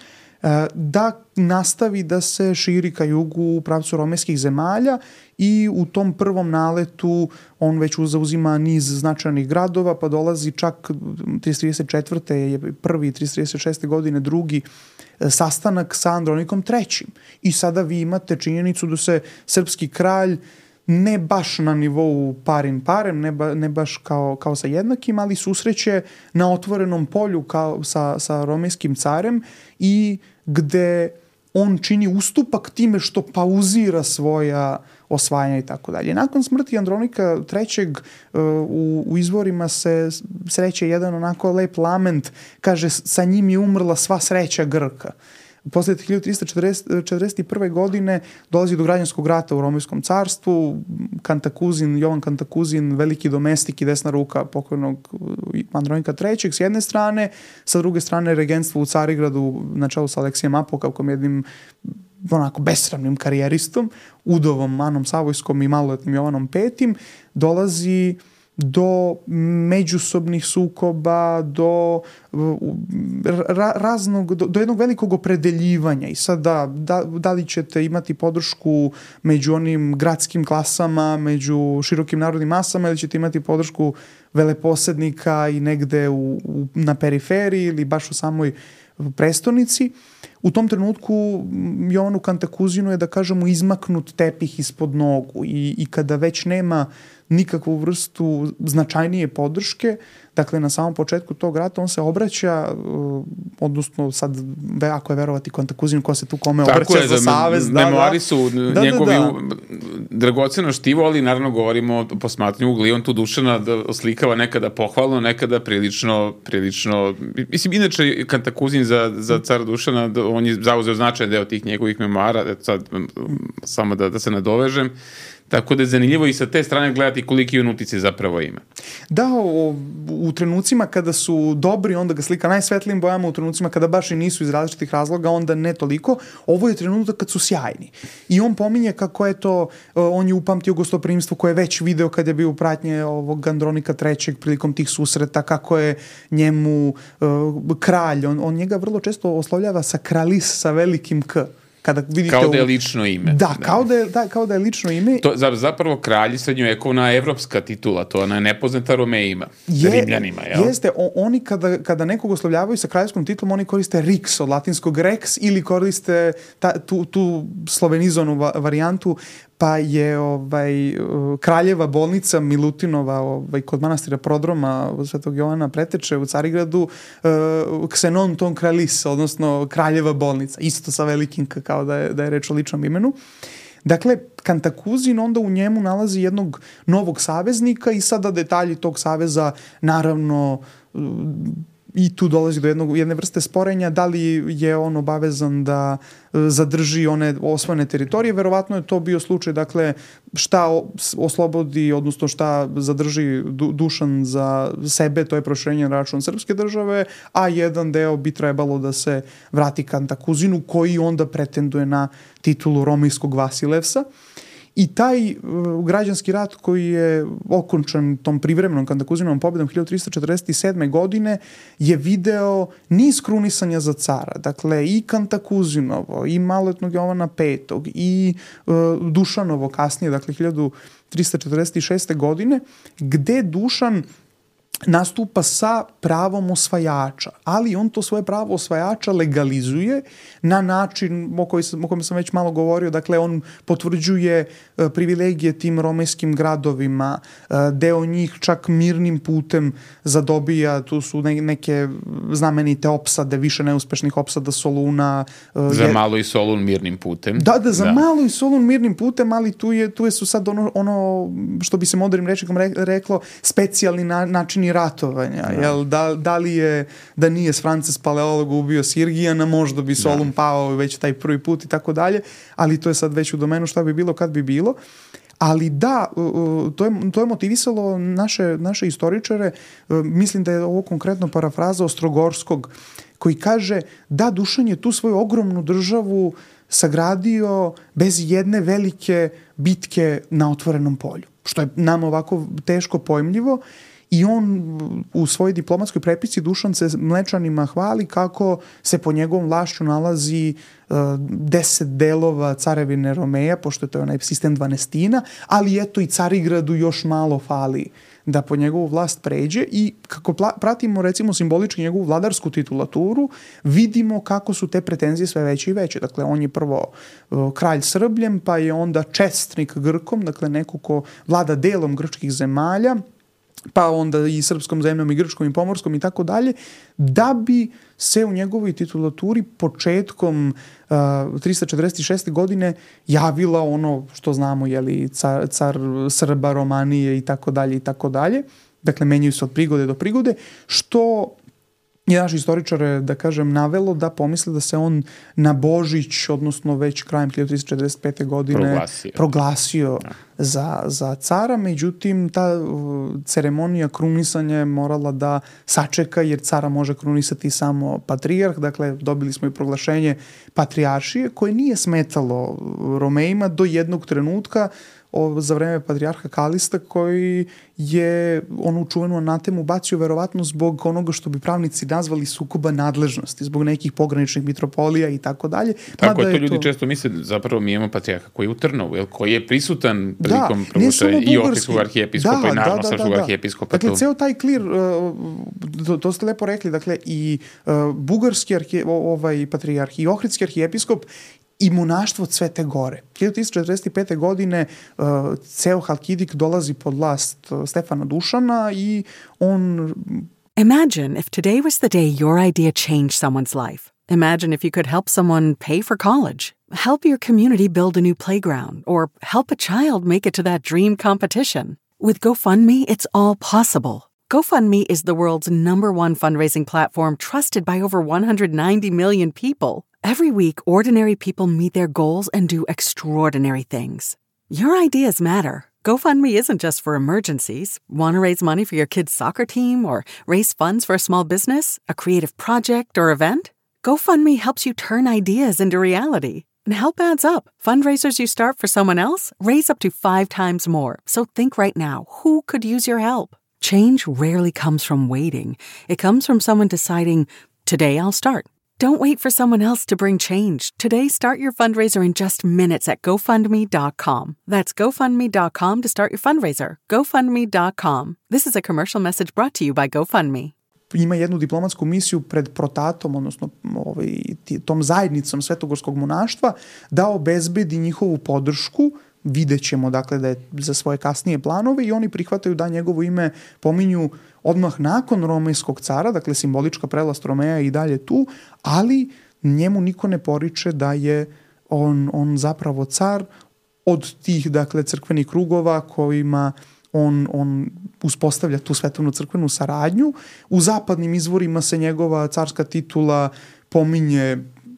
da nastavi da se širi ka jugu u pravcu romejskih zemalja, i u tom prvom naletu on već zauzima niz značajnih gradova, pa dolazi čak 334. je prvi, 336. godine drugi sastanak sa Andronikom III. I sada vi imate činjenicu da se srpski kralj ne baš na nivou parin parem, ne baš kao sa jednakim, ali susreće na otvorenom polju kao sa romejskim carem, i gde on čini ustupak time što pauzira svoja osvajanja i tako dalje. Nakon smrti Andronika III. U izvorima se sreće jedan onako lep lament, kaže sa njim je umrla sva sreća Grka. Posle 1341. godine dolazi do građanskog rata u Romejskom carstvu. Jovan Kantakuzin, veliki domestik i desna ruka pokojnog Andronika III. S jedne strane, sa druge strane regentstvo u Carigradu na čelu sa Aleksijem Apokavkom, jednim onako besramnim karijeristom, udovom Anom Savojskom i maloletnim Jovanom V, dolazi do međusobnih sukoba, do jednog velikog opredeljivanja. I sad da li ćete imati podršku među onim gradskim klasama, među širokim narodnim masama, ili ćete imati podršku veleposednika i negde na periferiji ili baš u samoj prestonici. U tom trenutku Jovanu Kantakuzinu je, da kažemo, izmaknut tepih ispod nogu, i kada već nema nikakvu vrstu značajnije podrške, dakle na samom početku tog rata on se obraća, odnosno sad, ako je verovati Kantakuzinu, ko se tu kome obraća za savez. Memoari su njegovi dragoceno štivo, ali naravno govorimo o posmatranju ugla, i on tu Dušana oslikava nekada pohvalno, nekada prilično, mislim, inače Kantakuzin za cara Dušana, on je zauzeo značajan deo tih njegovih memoara, sad samo da se nadovežem. Tako da je zanimljivo i sa te strane gledati koliki on utice zapravo ima. Da, u trenucima kada su dobri, onda ga slika najsvetlijim bojama, u trenucima kada baš i nisu iz različitih razloga, onda ne toliko. Ovo je trenutak kad su sjajni. I on pominje kako je to, on je upamtio gostoprimstvo koje je već video kad je bio u pratnje ovog Andronika III. Prilikom tih susreta, kako je njemu kralj, on njega vrlo često oslovljava sa kralis, sa velikim K. Kao da je lično ime. Da, kao da je lično ime. To, zapravo kralj srednjovekovna evropska titula, to ona je nepoznata Romejima, Rimljanima. Jeste, oni kada nekog oslovljavaju sa kraljevskom titulom, oni koriste Rix od latinskog Rex, ili koriste tu slovenizovanu varijantu, pa je kraljeva bolnica Milutinova kod manastira Prodroma Svetog Jovana Preteče u Carigradu, Ksenon ton kralis, odnosno kraljeva bolnica, isto sa velikim kao da je reč o ličnom imenu. Dakle, Kantakuzin onda u njemu nalazi jednog novog saveznika, i sada detalji tog saveza, naravno, i tu dolazi do jedne vrste sporenja, da li je on obavezan da zadrži one osvojene teritorije. Verovatno je to bio slučaj, dakle, šta oslobodi, odnosno šta zadrži Dušan za sebe, to je proširenje na račun srpske države, a jedan deo bi trebalo da se vrati Kantakuzinu, koji onda pretenduje na titulu romejskog Vasilevsa. I taj građanski rat koji je okončan tom privremenom Kantakuzinovom pobedom 1347. godine je video niz krunisanja za cara. Dakle, i Kantakuzinovo, i maloletnog Jovana V, i Dušanovo kasnije, dakle 1346. godine, gde Dušan nastupa sa pravom osvajača, ali on to svoje pravo osvajača legalizuje na način o kojem sam već malo govorio. Dakle, on potvrđuje privilegije tim romejskim gradovima, deo njih čak mirnim putem zadobija, tu su neke znamenite opsade, više neuspešnih opsada Soluna. Za malo i Solun mirnim putem. Da, za malo i Solun mirnim putem, ali tu su sad ono što bi se modernim rečnikom reklo, specijalni načini ratovanja. Jel, da nije Frances Paleolog ubio Sirgijana, možda bi Solun pao već taj prvi put i tako dalje, ali to je sad već u domenu šta bi bilo kad bi bilo. Ali da, to je motivisalo naše istoričare. Mislim da je ovo konkretno parafraza Ostrogorskog, koji kaže da Dušan je tu svoju ogromnu državu sagradio bez jedne velike bitke na otvorenom polju, što je nama ovako teško pojmljivo. I on u svojoj diplomatskoj prepici Dušan se Mlečanima hvali kako se po njegovom vlašću nalazi 10 delova carevine Romeja, pošto je to onaj sistem dvanestina, ali eto i Carigradu još malo fali da po njegovu vlast pređe. I kako pratimo recimo simbolički njegovu vladarsku titulaturu, vidimo kako su te pretenzije sve veće i veće. Dakle, on je prvo kralj Srbljem, pa je onda čestnik Grkom, dakle neko ko vlada delom grčkih zemalja, pa onda i srpskom zemljom i grčkom i pomorskom i tako dalje, da bi se u njegovoj titulaturi početkom 346. godine javila ono što znamo, jeli, car Srba, Romanije i tako dalje i tako dalje. Dakle, menjaju se od prigode do prigode, što je naš istoričar, da kažem, navelo da pomisle da se on na Božić, odnosno već krajem 1345. godine proglasio za cara. Međutim, ta ceremonija krunisanja je morala da sačeka, jer cara može krunisati samo patrijarh. Dakle, dobili smo i proglašenje patrijaršije, koje nije smetalo Romejima do jednog trenutka za vreme patrijarha Kalista, koji je onu čuvenu anatemu bacio verovatno zbog onoga što bi pravnici nazvali sukoba nadležnosti, zbog nekih pograničnih mitropolija i tako dalje. Tako je, to ljudi često misle, zapravo mi imamo patrijarha koji je u Trnovu, koji je prisutan prilikom proglašenja i Ohridskog arhijepiskopa i naravno srpskog arhijepiskopa. Dakle, ceo taj klir, to ste lepo rekli, dakle i bugarski patrijarh i ohridski arhijepiskop i monaštvo Svete Gore. 1345. godine ceo Halkidik dolazi pod vlast Stefana Dušana i on... Imagine if today was the day your idea changed someone's life. Imagine if you could help someone pay for college, help your community build a new playground, or help a child make it to that dream competition. With GoFundMe, it's all possible. GoFundMe is the world's #1 fundraising platform trusted by over 190 million people. Every week, ordinary people meet their goals and do extraordinary things. Your ideas matter. GoFundMe isn't just for emergencies. Want to raise money for your kid's soccer team or raise funds for a small business, a creative project, or event? GoFundMe helps you turn ideas into reality. And help adds up. Fundraisers you start for someone else raise up to 5 times more. So think right now, who could use your help? Change rarely comes from waiting. It comes from someone deciding, today I'll start. Don't wait for someone else to bring change. Today, start your fundraiser in just minutes at GoFundMe.com. That's GoFundMe.com to start your fundraiser. GoFundMe.com. This is a commercial message brought to you by GoFundMe. Ima jednu diplomatsku misiju pred protatom, odnosno tom zajednicom svetogorskog monaštva, da obezbedi njihovu podršku. Vidjet ćemo, dakle, da je za svoje kasnije planove, i oni prihvataju da njegovo ime pominju odmah nakon romejskog cara, dakle simbolička prelast Romeja i dalje tu, ali njemu niko ne poriče da je on zapravo car od tih, dakle, crkvenih krugova kojima on uspostavlja tu svetovnu crkvenu saradnju. U zapadnim izvorima se njegova carska titula pominje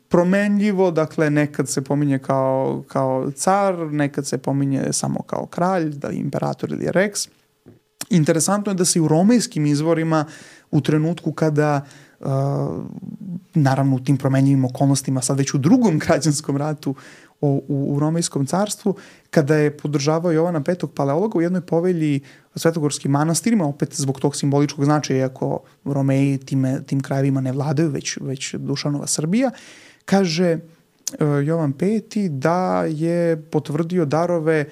promenljivo, dakle nekad se pominje kao car, nekad se pominje samo kao kralj, da je imperator ili rex. Interesantno je da se i u romejskim izvorima u trenutku kada naravno u tim promenljivim okolnostima, sad već u drugom građanskom ratu u Romejskom carstvu, kada je podržavao Jovana V. Paleologa u jednoj povelji svetogorskim manastirima, opet zbog tog simboličkog značaja, iako Romeji tim krajevima ne vladaju, već Dušanova Srbija, kaže Jovan V. da je potvrdio darove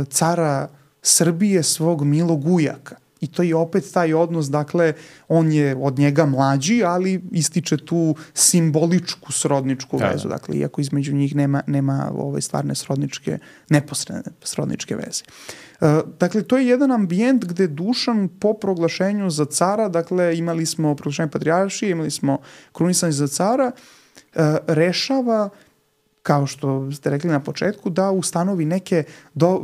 cara Srbije svog milog ujaka. I to je opet taj odnos, dakle, on je od njega mlađi, ali ističe tu simboličku srodničku vezu, dakle, iako između njih nema stvarne srodničke, neposredne srodničke veze. Dakle, to je jedan ambijent gde Dušan po proglašenju za cara, dakle, imali smo proglašenje patrijaršije, imali smo krunisanje za cara, rešava, kao što ste rekli na početku, da ustanovi neke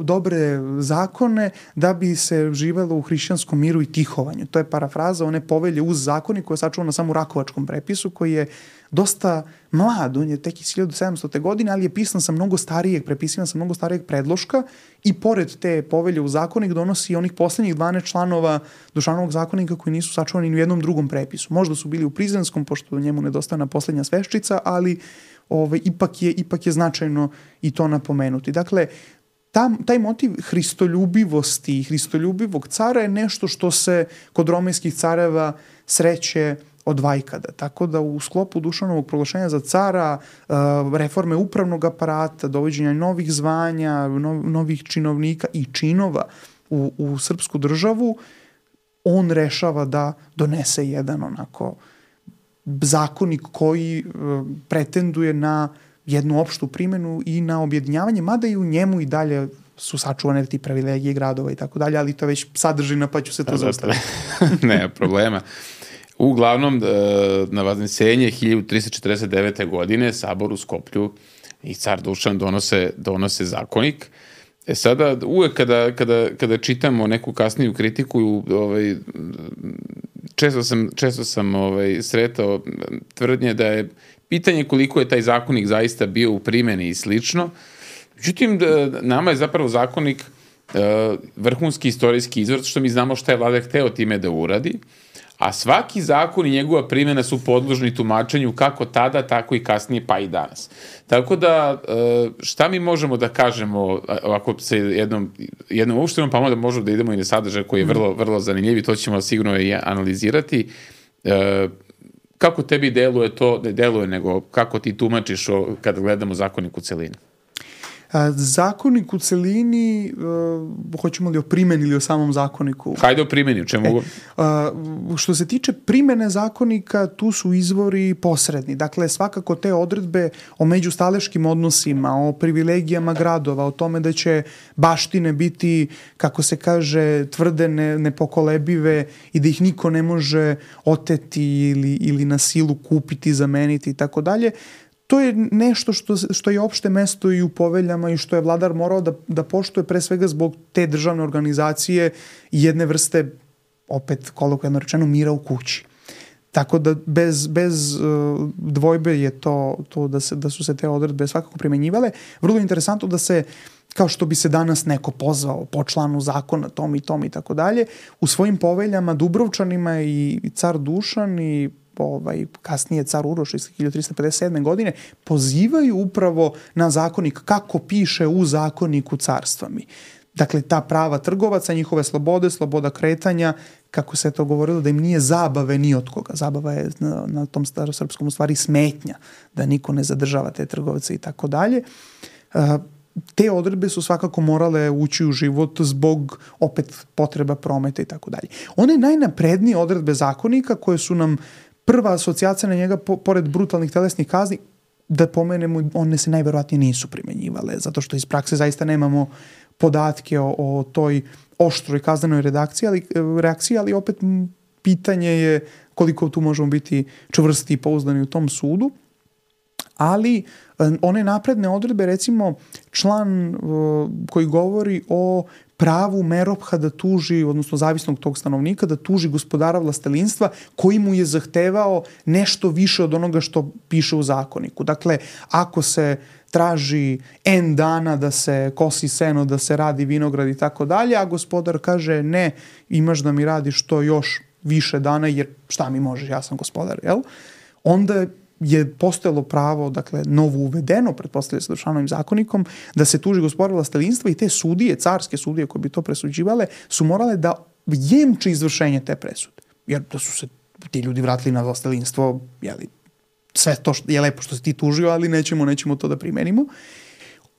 dobre zakone da bi se živelo u hrišćanskom miru i tihovanju. To je parafraza one povelje uz zakonik koja je sačuvana samo u Rakovačkom prepisu, koji je dosta mlad, on je tek iz 1700. godine, ali je pisan sa mnogo starijeg, prepisivan sa mnogo starijeg predloška i pored te povelje u zakonik donosi onih poslednjih 12 članova Dušanovog zakonika koji nisu sačuvani ni u jednom drugom prepisu. Možda su bili u Prizrenskom, pošto njemu nedostavna poslednja sveščica, ali ipak je značajno i to napomenuti. Dakle, taj motiv hristoljubivosti i hristoljubivog cara je nešto što se kod romejskih careva sreće od vajkada. Tako da u sklopu Dušanovog proglašenja za cara, reforme upravnog aparata, dovođenja novih zvanja, novih činovnika i činova u srpsku državu, on rešava da donese jedan onako zakonik koji pretenduje na jednu opštu primjenu i na objedinjavanje, mada i u njemu i dalje su sačuvane ti privilegije gradova i tako dalje, ali to već sadržina, pa ću se to zaustaviti. Nema problema. Uglavnom, na Vaznesenje 1349. godine Sabor u Skoplju i car Dušan donose zakonik. Sada, uvek kada čitamo neku kasniju kritiku, često sam sretao tvrdnje da je pitanje koliko je taj zakonik zaista bio u primjeni i slično. Međutim, nama je zapravo zakonik vrhunski istorijski izvor, što mi znamo šta je Vladar hteo time da uradi, a svaki zakon i njegova primjena su podložni tumačenju kako tada, tako i kasnije, pa i danas. Tako da, šta mi možemo da kažemo, ovako se jednom uopštenom, pa onda možemo da idemo i na sadržaj koji je vrlo, vrlo zanimljiv i to ćemo sigurno i analizirati. Kako tebi deluje to, ne deluje, nego kako ti tumačiš kada gledamo zakonik u celini? Zakonik u celini, hoćemo li o primjeni ili o samom zakoniku? Hajde o primjeni, u čemu? Što se tiče primjene zakonika, tu su izvori posredni. Dakle, svakako te odredbe o međustaleškim odnosima, o privilegijama gradova, o tome da će baštine biti, kako se kaže, tvrde, nepokolebive i da ih niko ne može oteti ili na silu kupiti, zameniti i tako dalje. To je nešto što je opšte mesto i u poveljama i što je vladar morao da poštuje pre svega zbog te državne organizacije i jedne vrste, opet kolokvijalno rečeno, mira u kući. Tako da bez dvojbe je to da su se te odredbe svakako primenjivale. Vrlo interesantno da se, kao što bi se danas neko pozvao po članu zakona tom i tom i tako dalje, u svojim poveljama Dubrovčanima i car Dušan i kasnije car Uroš iz 1357. godine pozivaju upravo na zakonik kako piše u zakoniku carstva-mi. Dakle, ta prava trgovaca, njihove slobode, sloboda kretanja, kako se to govorilo, da im nije zabave ni od koga. Zabava je na tom starosrpskom u stvari smetnja, da niko ne zadržava te trgovce i tako dalje. Te odredbe su svakako morale ući u život zbog opet potreba prometa i tako dalje. One najnaprednije odredbe zakonika koje su nam prva asocijacija na njega, pored brutalnih telesnih kazni, da pomenemo, one se najverovatnije nisu primenjivale, zato što iz prakse zaista nemamo podatke o toj oštroj kaznenoj reakciji, ali opet pitanje je koliko tu možemo biti čvrsti i pouzdani u tom sudu. Ali one napredne odredbe, recimo član koji govori o pravu Meropha da tuži, odnosno zavisnog tog stanovnika, da tuži gospodara vlastelinstva koji mu je zahtevao nešto više od onoga što piše u zakoniku. Dakle, ako se traži N dana da se kosi seno, da se radi vinograd i tako dalje, a gospodar kaže ne, imaš da mi radiš to još više dana, jer šta mi možeš, ja sam gospodar, jel? Onda je postojalo pravo, dakle, novo uvedeno, pretpostavlja se Dušanovim zakonikom, da se tuži gospodar vlastelinstva i te sudije, carske sudije koje bi to presuđivale, su morale da jemče izvršenje te presude. Jer da su se ti ljudi vratili na vlastelinstvo, jeli, sve to je lepo što si ti tužio, ali nećemo to da primenimo.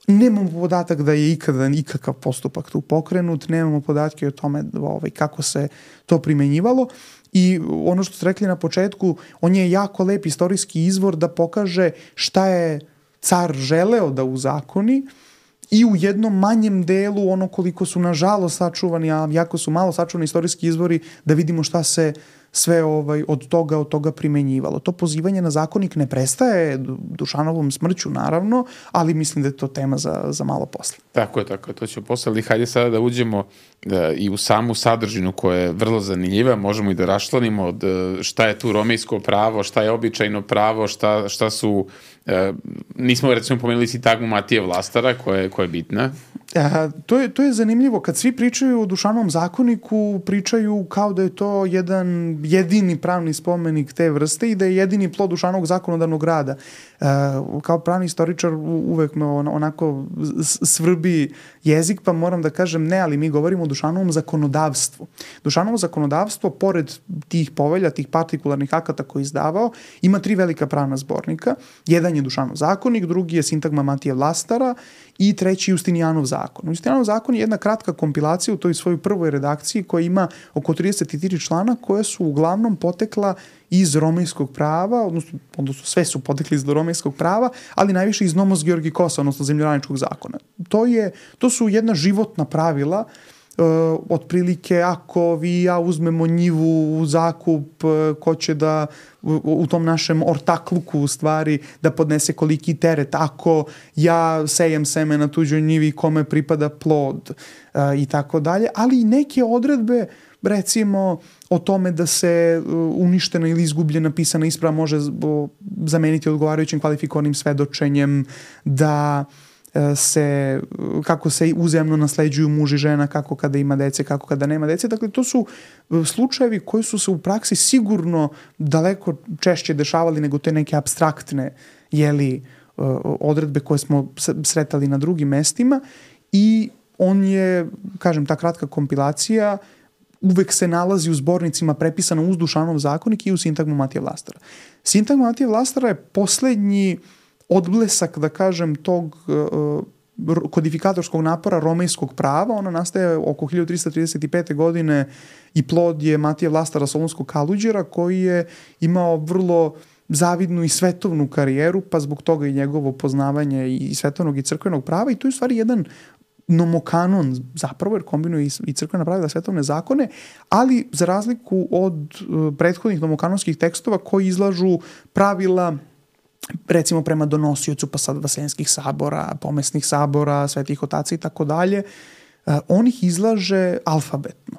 Nemamo podatak da je ikakav postupak tu pokrenut, nemamo podatke o tome kako se to primenjivalo. I ono što ste rekli na početku, on je jako lep istorijski izvor da pokaže šta je car želeo da uzakoni i u jednom manjem delu ono koliko su nažalost sačuvani, a jako su malo sačuvani istorijski izvori, da vidimo šta se sve od toga primenjivalo. To pozivanje na zakonik ne prestaje Dušanovom smrću, naravno, ali mislim da je to tema za malo posle. Tako je, to ćemo posle, ali hajde sada da uđemo i u samu sadržinu koja je vrlo zanimljiva, možemo i da raščlanimo od šta je tu romejsko pravo, šta je običajno pravo, šta su, nismo recimo pomenuli sintagmu Matije Vlastara koja je bitna. To je zanimljivo. Kad svi pričaju o Dušanovom zakoniku, pričaju kao da je to jedan jedini pravni spomenik te vrste i da je jedini plod Dušanovog zakonodavnog rada. Kao pravni istoričar uvek me onako svrbi jezik, pa moram da kažem ne, ali mi govorimo o Dušanovom zakonodavstvu. Dušanovo zakonodavstvo, pored tih povelja, tih partikularnih akata koje je izdavao, ima 3 velika pravna zbornika. Jedan je Dušanov zakonik, drugi je sintagma Matije Vlastara i treći Justinijanov zakon. Justinijanov zakon je jedna kratka kompilacija u toj svojoj prvoj redakciji koja ima oko 33 člana koja su uglavnom potekla iz romejskog prava, odnosno sve su potekli iz romejskog prava, ali najviše iz Nomos Georgikosa, odnosno zemljoradničkog zakona. To su jedna životna pravila, otprilike ako vi i ja uzmemo njivu u zakup, ko će da u tom našem ortakluku u stvari da podnese koliki teret, ako ja sejem seme na tuđoj njivi kome pripada plod i tako dalje, ali i neke odredbe recimo o tome da se uništena ili izgubljena pisana isprava može zameniti odgovarajućim kvalifikovanim svedočenjem, da kako se uzajamno nasleđuju muž i žena, kako kada ima dece, kako kada nema dece. Dakle, to su slučajevi koji su se u praksi sigurno daleko češće dešavali nego te neke apstraktne odredbe koje smo sretali na drugim mestima i on je, kažem, ta kratka kompilacija uvek se nalazi u zbornicima prepisano uz Dušanov zakonik i u sintagmu Matije Vlastara. Sintagma Matije Vlastara je poslednji odblesak, da kažem, tog kodifikatorskog napora romejskog prava. Ona nastaje oko 1335. godine i plod je Matije Vlastara Solunskog Kaluđera, koji je imao vrlo zavidnu i svetovnu karijeru, pa zbog toga i njegovo poznavanje i svetovnog i crkvenog prava, i to je u stvari jedan nomokanon zapravo, jer kombinuje i crkvena pravila, svetovne zakone, ali za razliku od prethodnih nomokanonskih tekstova koji izlažu pravila recimo prema donosiocu pa sad vaseljenskih sabora, pomesnih sabora, svetih otaca i tako dalje, on ih izlaže alfabetno.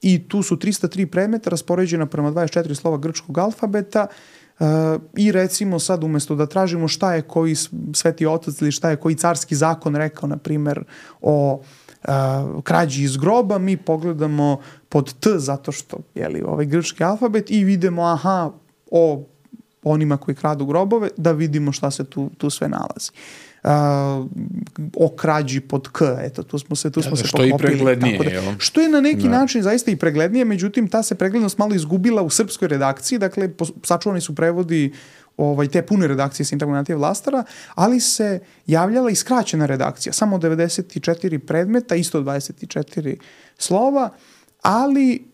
I tu su 303 predmeta raspoređena prema 24 slova grčkog alfabeta i recimo sad umesto da tražimo šta je koji sveti otac ili šta je koji carski zakon rekao, na primer, o krađi iz groba, mi pogledamo pod T zato što ovaj grčki alfabet i vidimo o onima koji kradu grobove, da vidimo šta se tu sve nalazi. O krađi pod K, eto, tu smo se poklopili. Što je i preglednije. Što je na neki način zaista i preglednije, međutim, ta se preglednost malo izgubila u srpskoj redakciji, dakle, sačuvani su prevodi te pune redakcije sintagme Matije Vlastara, ali se javljala i skraćena redakcija, samo 94 predmeta, isto 24 slova, ali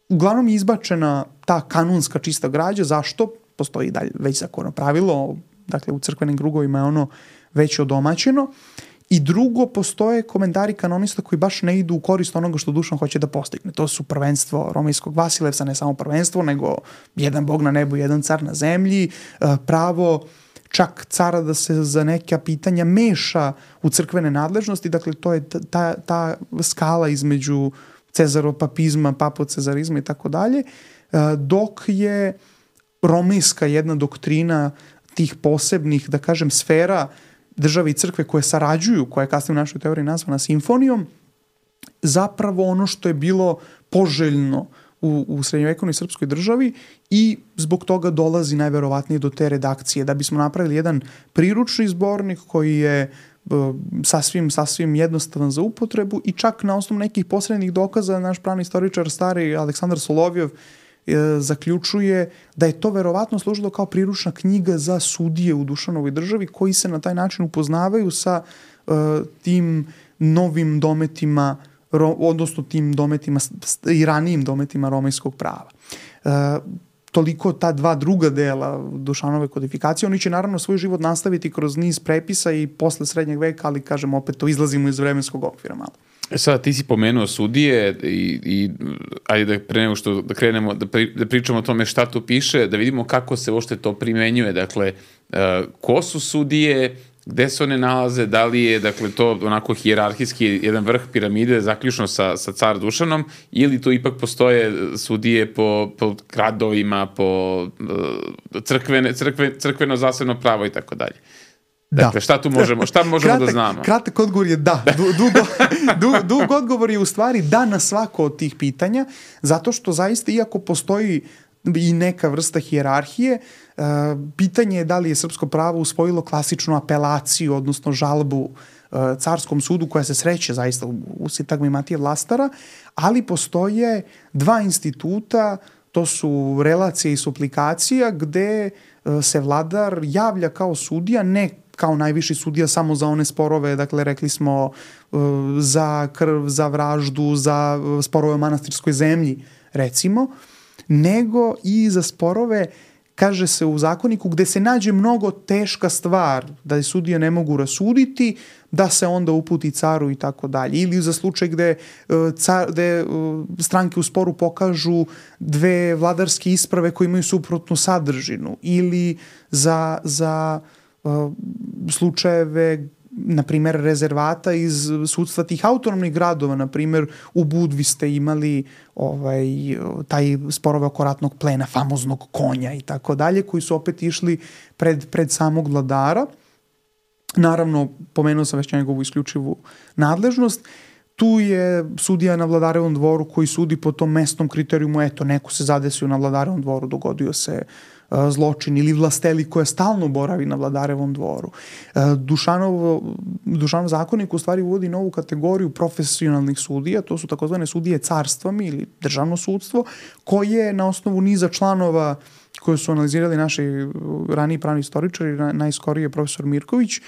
uglavnom je izbačena ta kanonska čista građa. Zašto? Postoji dalje već zakono pravilo, dakle u crkvenim krugovima je ono već odomaćeno. I drugo, postoje komentari kanonista koji baš ne idu u korist onoga što Dušan hoće da postigne. To su prvenstvo romejskog Vasilevsa, ne samo prvenstvo, nego jedan bog na nebu, jedan car na zemlji, pravo čak cara da se za neka pitanja meša u crkvene nadležnosti, dakle to je ta skala između cezaropapizma, papocezarizma i tako dalje, dok je romejska jedna doktrina tih posebnih, da kažem, sfera države i crkve koje sarađuju, koja je kasnije u našoj teoriji nazvana simfonijom, zapravo ono što je bilo poželjno u srednjovekovnoj srpskoj državi i zbog toga dolazi najverovatnije do te redakcije. Da bismo napravili jedan priručni zbornik koji je sasvim jednostavan za upotrebu i čak na osnovu nekih posrednih dokaza naš pravni istoričar stari Aleksandar Solovjev zaključuje da je to verovatno služilo kao priručna knjiga za sudije u Dušanovoj državi koji se na taj način upoznavaju sa tim novim dometima, odnosno tim dometima i ranijim dometima romejskog prava. Toliko ta dva druga dela Dušanove kodifikacije. Oni će naravno svoj život nastaviti kroz niz prepisa i posle srednjeg veka, ali kažem opet to izlazimo iz vremenskog okvira malo. Sada ti si pomenuo sudije i ajde da pre nego što da krenemo da pričamo o tome šta tu piše, da vidimo kako se uopšte to primenjuje. Dakle, ko su sudije, gde se one nalaze, da li je dakle, to onako hijerarhijski jedan vrh piramide zaključno sa car Dušanom ili tu ipak postoje sudije po gradovima, po crkveno zasebno pravo i tako dalje. Dakle, šta možemo da znamo? Kratak odgovor je da. Dug odgovor je u stvari da na svako od tih pitanja, zato što zaista iako postoji i neka vrsta hijerarhije, pitanje je da li je srpsko pravo usvojilo klasičnu apelaciju, odnosno žalbu carskom sudu koja se sreće zaista u sintagmi Matije Vlastara, ali postoje dva instituta, to su relacija i suplikacija, gde se vladar javlja kao sudija, ne kao najviši sudija samo za one sporove, dakle rekli smo za krv, za vraždu, za sporove o manastirskoj zemlji, recimo, nego i za sporove, kaže se u zakoniku, gde se nađe mnogo teška stvar, da je sudije ne mogu rasuditi, da se onda uputi caru i tako dalje. Ili za slučaj gde stranke u sporu pokažu dve vladarske isprave koje imaju suprotnu sadržinu. Ili za slučajeve, na primjer, rezervata iz sudstva tih autonomnih gradova. Na primjer, u Budvi ste imali taj sporove oko ratnog plena, famoznog konja i tako dalje, koji su opet išli pred samog vladara. Naravno, pomenuo sam već njegovu isključivu nadležnost. Tu je sudija na Vladarevom dvoru koji sudi po tom mesnom kriterijumu, eto, neko se zadesio na Vladarevom dvoru, dogodio se zločin, ili vlasteli koja stalno boravi na Vladarevom dvoru. Dušanov zakonik u stvari uvodi novu kategoriju profesionalnih sudija, to su takozvane sudije carstvami ili državno sudstvo, koje na osnovu niza članova koje su analizirali naši raniji pravni istoričari, najskorije profesor Mirković,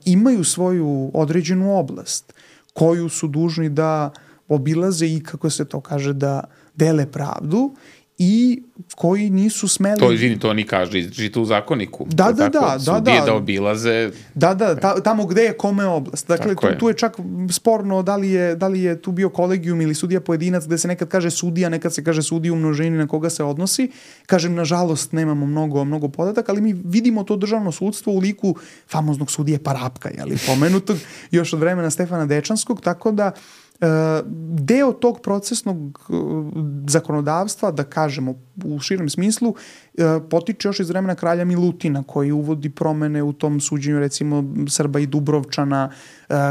imaju svoju određenu oblast koju su dužni da obilaze i, kako se to kaže, da dele pravdu i koji nisu smeli... To oni kaže, žite u zakoniku. Da. Sudije da obilaze... Tamo gde je kome oblast. Dakle, tu je čak sporno da li je tu bio kolegijum ili sudija pojedinac, gde se nekad kaže sudija, nekad se kaže sudija u množini na koga se odnosi. Kažem, nažalost, nemamo mnogo podataka, ali mi vidimo to državno sudstvo u liku famoznog sudije Parapka, pomenutog još od vremena Stefana Dečanskog, tako da deo tog procesnog zakonodavstva, da kažemo u širem smislu, potiče još iz vremena kralja Milutina, koji uvodi promene u tom suđenju, recimo Srba i Dubrovčana,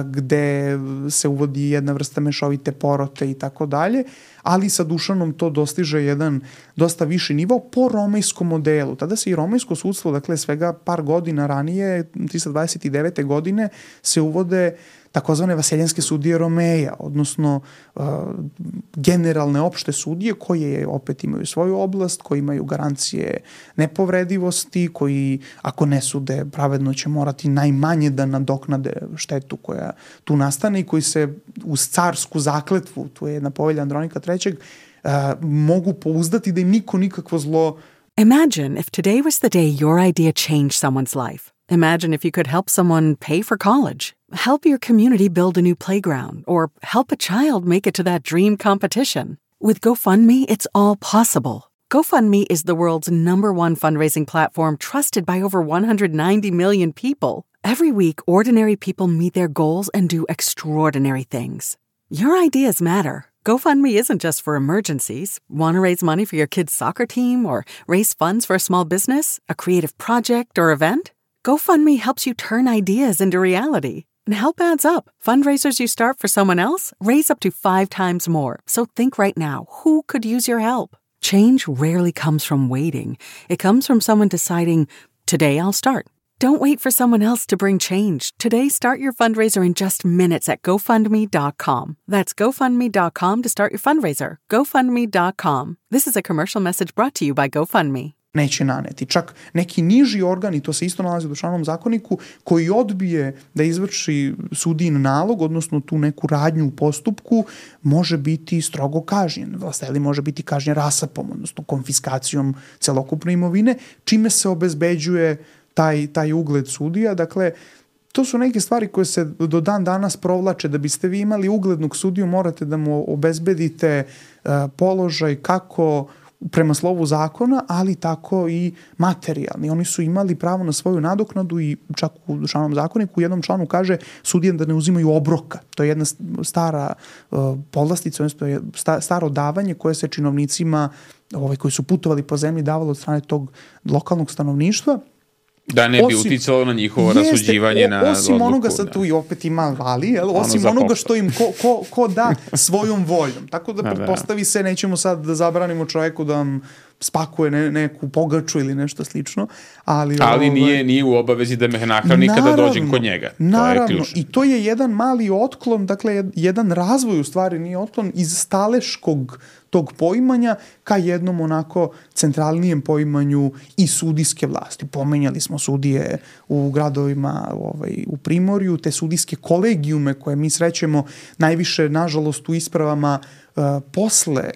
gde se uvodi jedna vrsta mešovite porote i tako dalje, ali sa Dušanom to dostiže jedan dosta viši nivo po romejskom modelu. Tada se i romejsko sudstvo, dakle svega par godina ranije, 329. godine, se uvode takozvane vaseljanske sudije Romeja, odnosno generalne opšte sudije koje opet imaju svoju oblast, koji imaju garancije nepovredivosti, koji ako ne sude pravedno će morati najmanje da nadoknade štetu koja tu nastane i koji se uz carsku zakletvu, tu je jedna povelja Andronika III, mogu pouzdati da im niko nikakvo zlo... Imagine if today was the day your idea changed someone's life. Imagine if you could help someone pay for college, help your community build a new playground, or help a child make it to that dream competition. With GoFundMe, it's all possible. GoFundMe is the world's #1 fundraising platform trusted by over 190 million people. Every week, ordinary people meet their goals and do extraordinary things. Your ideas matter. GoFundMe isn't just for emergencies. Want to raise money for your kid's soccer team or raise funds for a small business, a creative project, or event? GoFundMe helps you turn ideas into reality. And help adds up. Fundraisers you start for someone else raise up to 5 times more. So think right now, who could use your help? Change rarely comes from waiting. It comes from someone deciding, today I'll start. Don't wait for someone else to bring change. Today, start your fundraiser in just minutes at GoFundMe.com. That's GoFundMe.com to start your fundraiser. GoFundMe.com. This is a commercial message brought to you by GoFundMe. neće naneti. Čak neki niži organ, i to se isto nalazi u Dušanom zakoniku, koji odbije da izvrši sudijin nalog, odnosno tu neku radnju u postupku, može biti strogo kažnjen. Vlasteli može biti kažnjen rasapom, odnosno konfiskacijom celokupne imovine, čime se obezbeđuje taj ugled sudija. Dakle, to su neke stvari koje se do dan danas provlače. Da biste vi imali uglednog sudiju, morate da mu obezbedite položaj kako prema slovu zakona, ali tako i materijalni. Oni su imali pravo na svoju nadoknadu i čak u Dušanom zakoniku u jednom članu kaže sudije da ne uzimaju obroka. To je jedna stara povlastica, odnosno staro davanje koje se činovnicima koji su putovali po zemlji davalo od strane tog lokalnog stanovništva. Da ne bi uticalo na njihovo rasuđivanje na odluku. Osim onoga, sad tu i opet ima vali, osim onoga što im ko da svojom voljom. Tako da pretpostavi se, nećemo sad da zabranimo čoveku da vam spakuje neku pogaču ili nešto slično. Ali nije u obavezi da me nahrani kada dođem kod njega. Naravno, to je ključno. I to je jedan mali otklon, dakle jedan razvoj u stvari, nije otklon, iz staleškog tog poimanja ka jednom onako centralnijem poimanju i sudijske vlasti. Pomenjali smo sudije u gradovima u Primorju, te sudijske kolegijume koje mi srećemo najviše, nažalost, u ispravama posle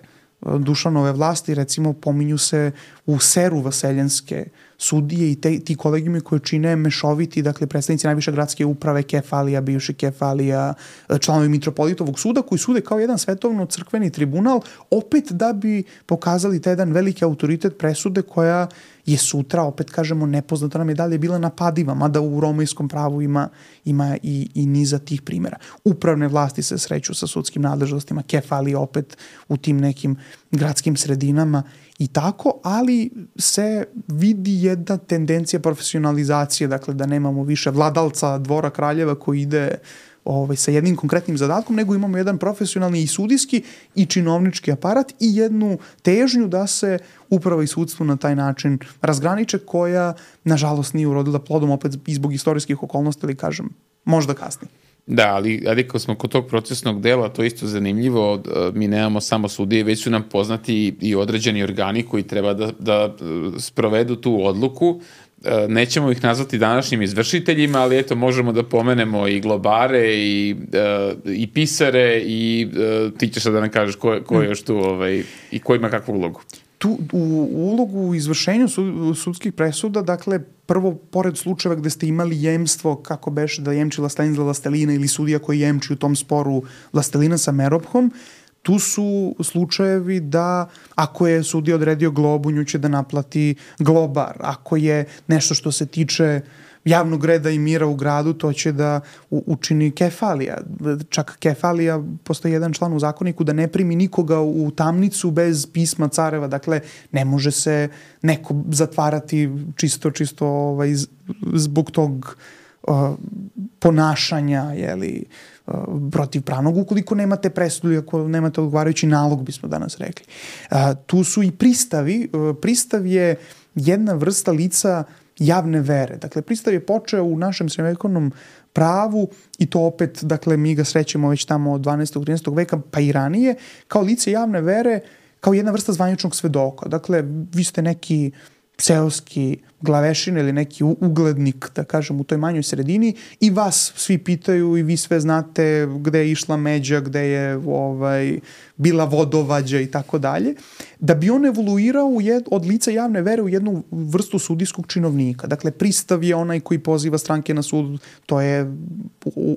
Dušanove vlasti, recimo pominju se u Seru vaseljenske sudije i ti kolegijumi koje čine mešoviti, dakle predstavnici najviše gradske uprave, kefalija, bivši kefalija, članovi Mitropolitovog suda koji sude kao jedan svetovno-crkveni tribunal, opet da bi pokazali taj jedan veliki autoritet presude koja je sutra, opet kažemo, nepoznata nam je dalje bila napadiva, mada u romejskom pravu ima i niza tih primjera. Upravne vlasti se sreću sa sudskim nadležnostima, kefalije opet u tim nekim gradskim sredinama i tako, ali se vidi jedna tendencija profesionalizacije, dakle da nemamo više vladalca dvora kraljeva koji ide sa jednim konkretnim zadatkom, nego imamo jedan profesionalni i sudijski i činovnički aparat i jednu težnju da se uprava i sudstvo na taj način razgraniče, koja nažalost nije urodila plodom, opet i zbog istorijskih okolnosti, ali kažem, možda kasnije. Da, ali ako smo kod tog procesnog dela, to je isto zanimljivo, mi nemamo samo sudije, već su nam poznati i određeni organi koji treba da sprovedu tu odluku. Nećemo ih nazvati današnjim izvršiteljima, ali eto, možemo da pomenemo i globare i pisare i ti ćeš da nam kažeš ko je još tu i ko ima kakvu ulogu. Tu u ulogu u izvršenju sudskih presuda, dakle, prvo, pored slučajeva gde ste imali jemstvo, kako beše da jemči vlastelin za vlastelina ili sudija koji jemči u tom sporu vlastelina sa meropkom, tu su slučajevi da ako je sudija odredio globu, nju će da naplati globar. Ako je nešto što se tiče javnog reda i mira u gradu, to će da učini kefalija. Čak kefalija, postoji jedan član u zakoniku da ne primi nikoga u tamnicu bez pisma careva. Dakle, ne može se neko zatvarati čisto zbog tog ponašanja, protivpravnog, ukoliko nemate presudu, ako nemate odgovarajući nalog, bismo danas rekli. Tu su i pristavi. Pristav je jedna vrsta lica javne vere. Dakle, pristav je počeo u našem srednjovekovnom pravu i to opet, dakle, mi ga srećemo već tamo od 12. 13. veka pa i ranije, kao lice javne vere, kao jedna vrsta zvaničnog svedoka. Dakle, vi ste neki seoski glavešin ili neki uglednik, da kažem, u toj manjoj sredini i vas svi pitaju i vi sve znate gde je išla međa, gde je bila vodovađa i tako dalje, da bi on evoluirao od lica javne vere u jednu vrstu sudijskog činovnika. Dakle, pristav je onaj koji poziva stranke na sud, to je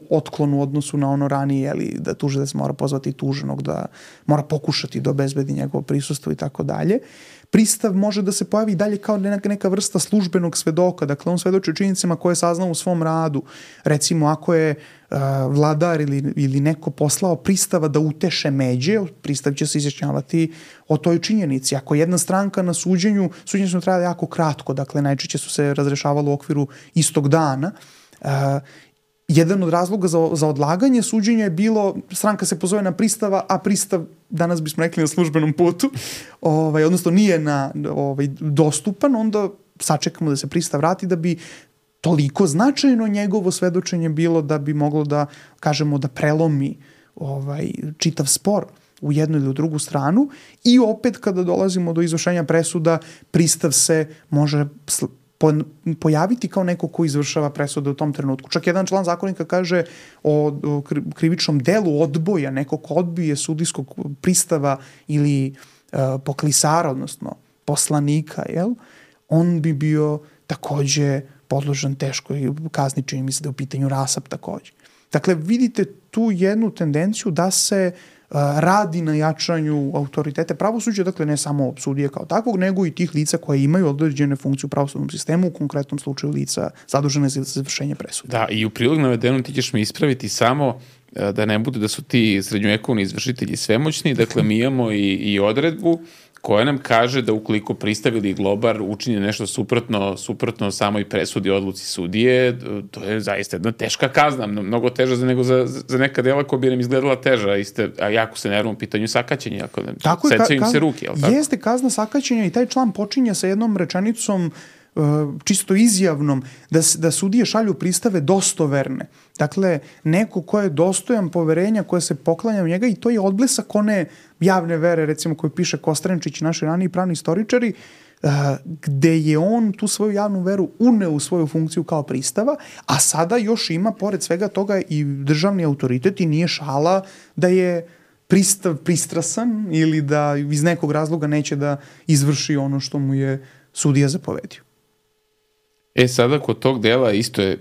otklon u odnosu na ono ranije, da tužilac mora pozvati tuženog, da mora pokušati da obezbedi njegovo prisustvo i tako dalje. Pristav može da se pojavi dalje kao neka vrsta službenog svedoka, dakle on svedoči o činjenicama koje je saznao u svom radu. Recimo, ako je vladar ili neko poslao pristava da uteše međe, pristav će se izjašnjavati o toj činjenici. Ako jedna stranka na suđenju su trajale jako kratko, dakle najčešće su se razrešavalo u okviru istog dana, jedan od razloga za odlaganje suđenja je bilo, stranka se pozove na pristava, a pristav, danas bismo rekli, na službenom putu, odnosno nije dostupan, onda sačekamo da se pristav vrati da bi toliko značajno njegovo svedočenje bilo da bi moglo da, kažemo, da prelomi čitav spor. u jednu ili u drugu stranu i opet kada dolazimo do izvršenja presuda, pristav se može pojaviti kao neko ko izvršava presude u tom trenutku. Čak jedan član zakonika kaže o krivičnom delu odboja, neko ko odbije sudijskog pristava ili poklisara, odnosno poslanika, on bi bio takođe podložan teškoj kazni, čini mi se da je u pitanju rasap takođe. Dakle, vidite tu jednu tendenciju da se radi na jačanju autoritete pravosuđa, dakle ne samo sudije kao takvog, nego i tih lica koje imaju određene funkcije u pravosudnom sistemu, u konkretnom slučaju lica zadužene za izvršenje presude. Da, i u prilog navedenom ti ćeš mi ispraviti samo da ne bude da su ti srednjovekovni izvršitelji svemoćni, dakle mi imamo i odredbu koja nam kaže da ukoliko pristav ili globar učini nešto suprotno samoj presudi odluci sudije, to je zaista jedna teška kazna, mnogo teža nego za neka dela koja bi nam izgledala teža, a jako se nervno u pitanju sakaćenja, secaju im se ruke. Jeste kazna sakaćenja i taj član počinje sa jednom rečenicom čisto izjavnom, da sudije šalju pristave dostoverne. Dakle, neko ko je dostojan poverenja, koje se poklanja u njega i to je odblesak one javne vere, recimo koju piše Kostrenčić, naši raniji pravni istoričari, gde je on tu svoju javnu veru uneo u svoju funkciju kao pristava, a sada još ima, pored svega toga, i državni autoritet i nije šala da je pristav pristrasan ili da iz nekog razloga neće da izvrši ono što mu je sudija zapovedio. Sada kod tog dela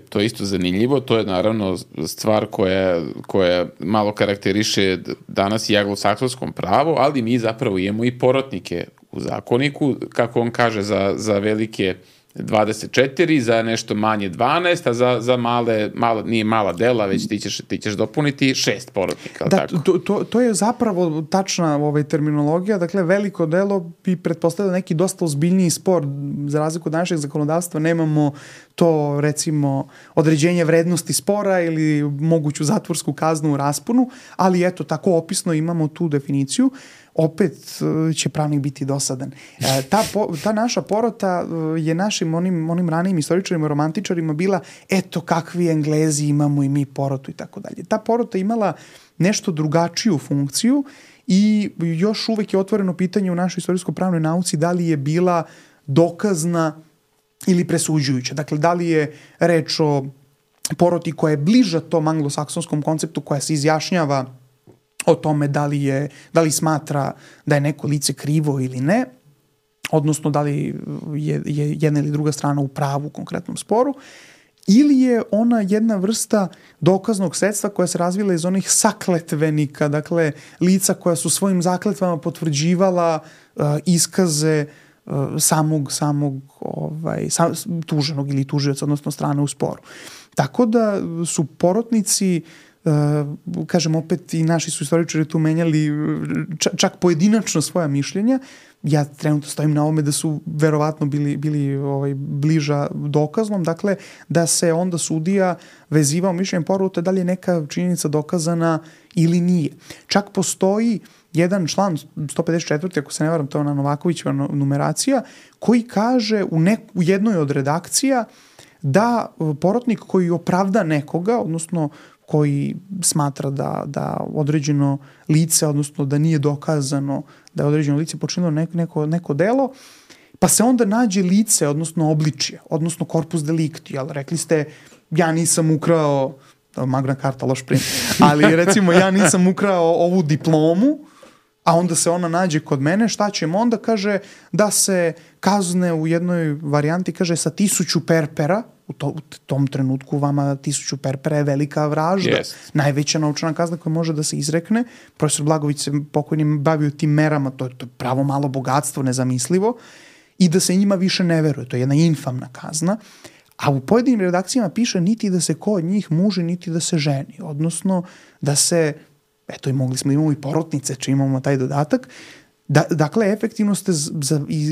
to je isto zanimljivo, to je naravno stvar koja malo karakteriše danas i anglosaksonskom pravu, ali mi zapravo imamo i porotnike u zakoniku, kako on kaže, za velike 24, za nešto manje 12, a za male, nije mala dela, već ti ćeš dopuniti 6 porotnika. Da, to je zapravo tačna terminologija, dakle veliko delo bi pretpostavljalo neki dosta ozbiljniji spor, za razliku od našeg zakonodavstva nemamo to, recimo, određenje vrednosti spora ili moguću zatvorsku kaznu u rasponu, ali eto, tako opisno imamo tu definiciju. Opet će pravnik biti dosadan. Ta naša porota je našim onim ranijim istoričarima, romantičarima bila eto kakvi Englezi imamo i mi porotu i tako dalje. Ta porota imala nešto drugačiju funkciju i još uvek je otvoreno pitanje u našoj istorijsko-pravnoj nauci da li je bila dokazna ili presuđujuća. Dakle, da li je reč o poroti koja je bliža tom anglosaksonskom konceptu, koja se izjašnjava o tome da li smatra da je neko lice krivo ili ne, odnosno da li je jedna ili druga strana u pravu u konkretnom sporu, ili je ona jedna vrsta dokaznog sredstva koja se razvila iz onih sakletvenika, dakle lica koja su svojim zakletvama potvrđivala iskaze samog tuženog ili tužioca, odnosno strane u sporu. Tako da su porotnici, kažem opet, i naši su istoričari tu menjali čak pojedinačno svoja mišljenja. Ja trenutno stojim na ovome da su verovatno bili bliža dokaznom, dakle da se onda sudija vezivao mišljenjem porota da li je neka činjenica dokazana ili nije. Čak postoji jedan član 154. ako se ne varam, to je ona Novakovićeva numeracija, koji kaže u jednoj od redakcija da porotnik koji opravda nekoga, odnosno koji smatra da određeno lice, odnosno da nije dokazano da je određeno lice počinilo neko delo, pa se onda nađe lice, odnosno obličje, odnosno corpus delicti, ali rekli ste ja nisam ukrao, Magna Carta, loš primjer, ali recimo ja nisam ukrao ovu diplomu, a onda se ona nađe kod mene, šta ćemo onda? Kaže da se kazne u jednoj varijanti, kaže sa 1000 perpera, u tom trenutku vama 1000 perpera je velika vražda. Yes. Najveća novčana kazna koja može da se izrekne. Profesor Blagović se pokojnim bavio tim merama, to je pravo malo bogatstvo, nezamislivo, i da se njima više ne veruje. To je jedna infamna kazna. A u pojedinim redakcijama piše niti da se ko od njih muži, niti da se ženi. Odnosno da se, eto i mogli smo, imamo i porotnice, če imamo taj dodatak. Dakle, efektivno ste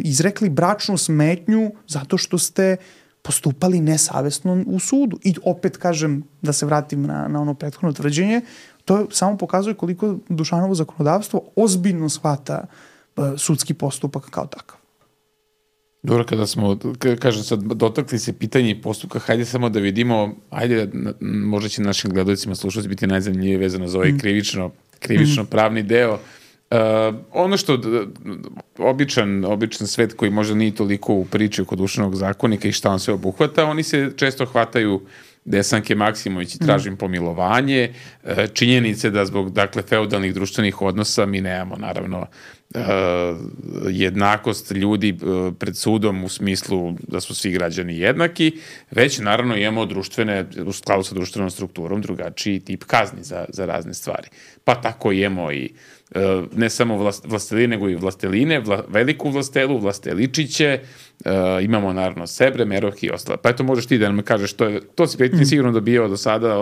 izrekli bračnu smetnju zato što ste postupali nesavesno u sudu. I opet kažem, da se vratim na ono prethodno tvrđenje, to samo pokazuje koliko Dušanovo zakonodavstvo ozbiljno shvata sudski postupak kao takav. Dobro, kada smo, kažem sad, dotakli se pitanje postupka, hajde samo da vidimo, možda će našim gledalcima slušalci biti najzanimljivije vezano za ovaj krivično pravni deo Ono što običan svet koji možda nije toliko u priči oko Dušanog zakonika i šta on sve obuhvata, oni se često hvataju Desanke Maksimović i tražim pomilovanje, činjenice da zbog, dakle, feudalnih društvenih odnosa mi nemamo, naravno, jednakost ljudi pred sudom u smislu da su svi građani jednaki, već naravno imamo društvene, u skladu sa društvenom strukturom, drugačiji tip kazni za razne stvari. Pa tako imamo i ne samo vlasteline, nego i vlasteline, veliku vlastelu, vlasteličiće, imamo naravno Sebre, Meroh i ostale. Pa eto, možeš ti da nam kažeš, to si pretnje sigurno dobijao do sada,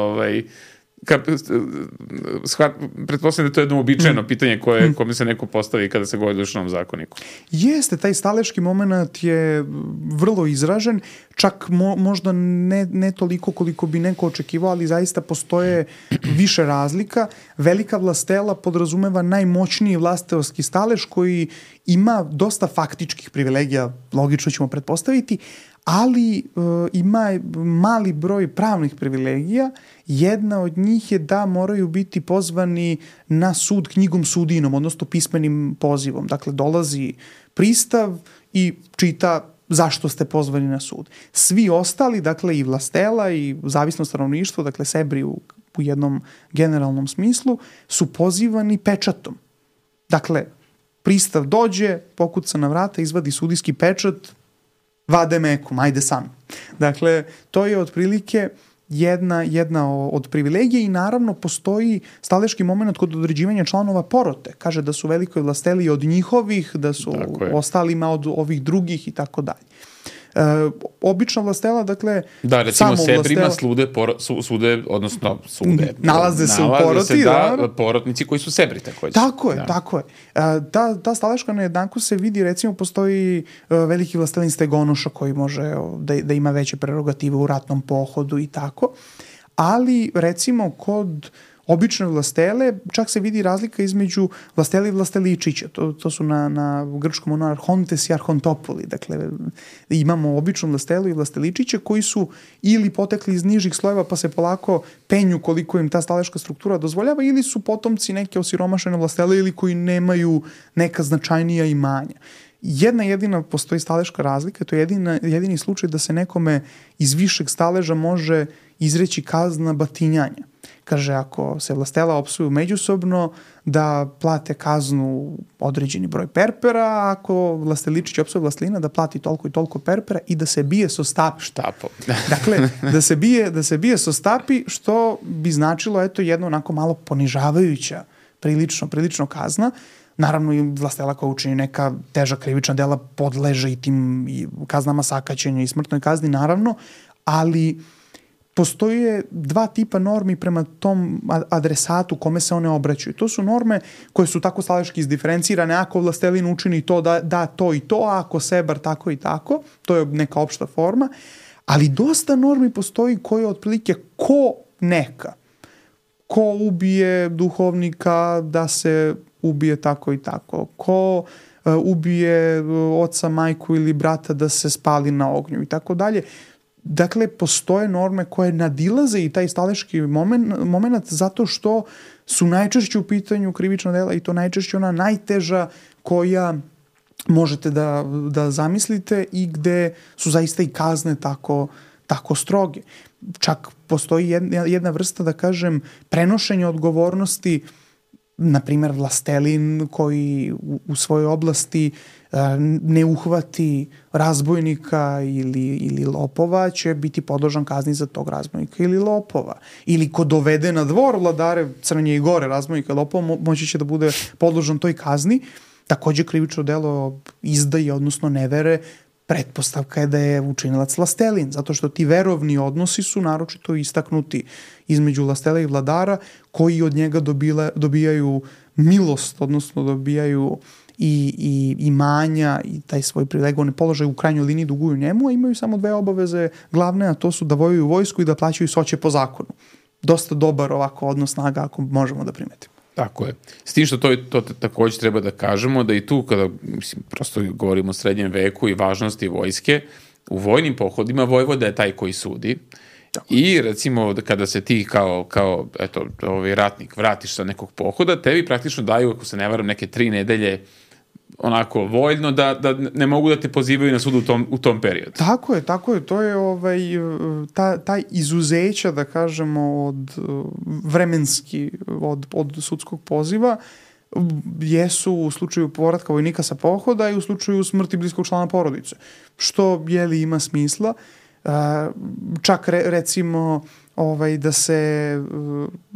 pretpostavljam da to je jedno uobičajeno pitanje kome se neko postavi kada se govori o Dušanom zakoniku. Jeste, taj staleški moment je vrlo izražen, čak možda ne toliko koliko bi neko očekivao, ali zaista postoje više razlika. Velika vlastela podrazumeva najmoćniji vlastelski stalež koji ima dosta faktičkih privilegija, logično ćemo pretpostaviti, ali ima mali broj pravnih privilegija. Jedna od njih je da moraju biti pozvani na sud knjigom sudinom, odnosno pismenim pozivom. Dakle, dolazi pristav i čita zašto ste pozvani na sud. Svi ostali, dakle i vlastela i zavisno stanovništvo, dakle Sebri u jednom generalnom smislu, su pozivani pečatom. Dakle, pristav dođe, pokuca na vrata, izvadi sudijski pečat, vade mekom, ajde sam. Dakle, to je otprilike jedna od privilegija i naravno postoji staleški moment kod određivanja članova porote. Kaže da su velikoj vlasteli od njihovih, da su ostalima od ovih drugih i tako dalje. Obična vlastela, dakle, da, recimo Sebrima sude, nalaze se u poroti, porotnici koji su Sebri, takođe. Tako je. Ta staleška nejednakost se vidi, recimo, postoji veliki vlastelin Stegonoša koji može da ima veće prerogative u ratnom pohodu i tako, ali, recimo, kod obične vlastele čak se vidi razlika između vlastele i vlasteličića. To su na grčkom arhontes i arhontopoli. Dakle, imamo običnu vlastelu i vlasteličiće koji su ili potekli iz nižih slojeva pa se polako penju koliko im ta staleška struktura dozvoljava, ili su potomci neke osiromašene vlastele ili koji nemaju neka značajnija imanja. Jedina postoji staleška razlika, to je jedini slučaj da se nekome iz višeg staleža može izreći kazna batinjanja. Kaže, ako se vlastela opsuju međusobno, da plate kaznu određeni broj perpera, a ako vlasteličić opsuje vlastelina, da plati toliko i toliko perpera i da se bije so štapom. Dakle, da se bije so stapi, što bi značilo, eto, jedno onako malo ponižavajuća, prilično kazna. Naravno, i vlastela koja učini neka teža krivična dela podleže i tim kaznama sakaćenja i smrtnoj kazni, naravno, ali postoje dva tipa normi prema tom adresatu kome se one obraćaju. To su norme koje su tako staleški izdiferencirane. Ako vlastelin učini to, da to i to, a ako Sebar tako i tako. To je neka opšta forma. Ali dosta normi postoji koje otprilike ko neka. Ko ubije duhovnika da se ubije tako i tako. Ko ubije oca, majku ili brata da se spali na ognju i tako dalje. Dakle, postoje norme koje nadilaze i taj staleški moment zato što su najčešće u pitanju krivična dela i to najčešće ona najteža koja možete da zamislite i gde su zaista i kazne tako stroge. Čak postoji jedna vrsta, da kažem, prenošenja odgovornosti, na primjer vlastelin koji u svojoj oblasti ne uhvati razbojnika ili lopova, će biti podložan kazni za tog razbojnika ili lopova. Ili ko dovede na dvor vladare Crnje i Gore razbojnika i lopova, moći će da bude podložan toj kazni. Takođe, krivično delo izdaje, odnosno nevere, pretpostavka je da je učinilac vlastelin, zato što ti verovni odnosi su naročito istaknuti između vlastela i vladara, koji od njega dobijaju milost, odnosno dobijaju i imanja i taj svoj privilegovani položaj u krajnjoj liniji duguju njemu, a imaju samo dve obaveze glavne, a to su da vojuju vojsku i da plaćaju soće po zakonu. Dosta dobar ovako odnos snaga, ako možemo da primetimo. Tako je. S tim što to takođe treba da kažemo, da i tu kada, prosto govorimo o srednjem veku i važnosti vojske, u vojnim pohodima vojvoda je taj koji sudi I recimo kada se ti kao eto, ratnik vratiš sa nekog pohoda, tebi praktično daju, ako se ne varam, neke 3 nedelje onako voljno da ne mogu da te pozivaju na sud u tom periodu. Tako je. To je taj izuzeća, da kažemo, od vremenski od sudskog poziva jesu u slučaju povratka vojnika sa pohoda i u slučaju smrti bliskog člana porodice. Što ima smisla. Čak recimo da se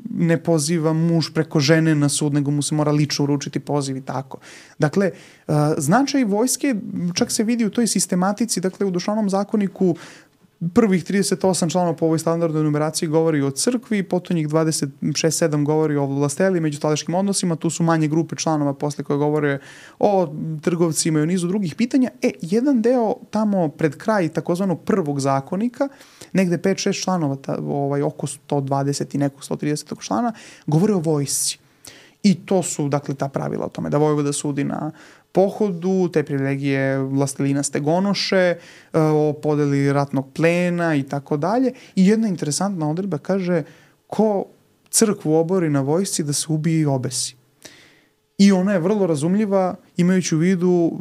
ne poziva muž preko žene na sud, nego mu se mora lično uručiti poziv i tako. Dakle, značaj vojske čak se vidi u toj sistematici, dakle u Dušanom zakoniku prvih 38 članova po ovoj standardnoj numeraciji govori o crkvi, potom njih 26-7 govori o vlasteli, međutadeškim odnosima, tu su manje grupe članova posle koje govore o trgovcima i o nizu drugih pitanja. Jedan deo tamo pred kraj takozvanog prvog zakonika, negde 5-6 članova, oko 120 i nekog 130 člana, govore o vojsci. I to su, dakle, ta pravila o tome da vojvoda sudi na pohodu, te privilegije vlastelina stegonoše, o podeli ratnog plena i tako dalje. I jedna interesantna odredba kaže ko crkvu obori na vojsci da se ubije i obesi. I ona je vrlo razumljiva imajući u vidu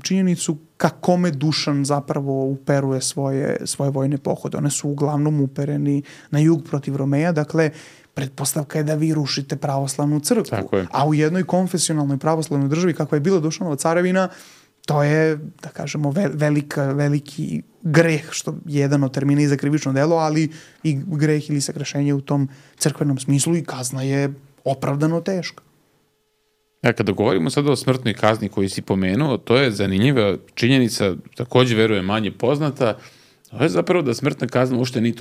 činjenicu kakome Dušan zapravo uperuje svoje vojne pohode. One su uglavnom upereni na jug protiv Romeja, dakle pretpostavka je da vi rušite pravoslavnu crkvu. A u jednoj konfesionalnoj pravoslavnoj državi kakva je bila Dušanova carevina, to je, da kažemo, veliki greh, što je jedan od termina i za krivično delo, ali i greh ili sagrešenje u tom crkvenom smislu i kazna je opravdano teška. Kada govorimo sada o smrtnoj kazni koju si pomenuo, to je zanimljiva činjenica, takođe verujem manje poznata, to je zapravo da smrtna kazna uopšte nije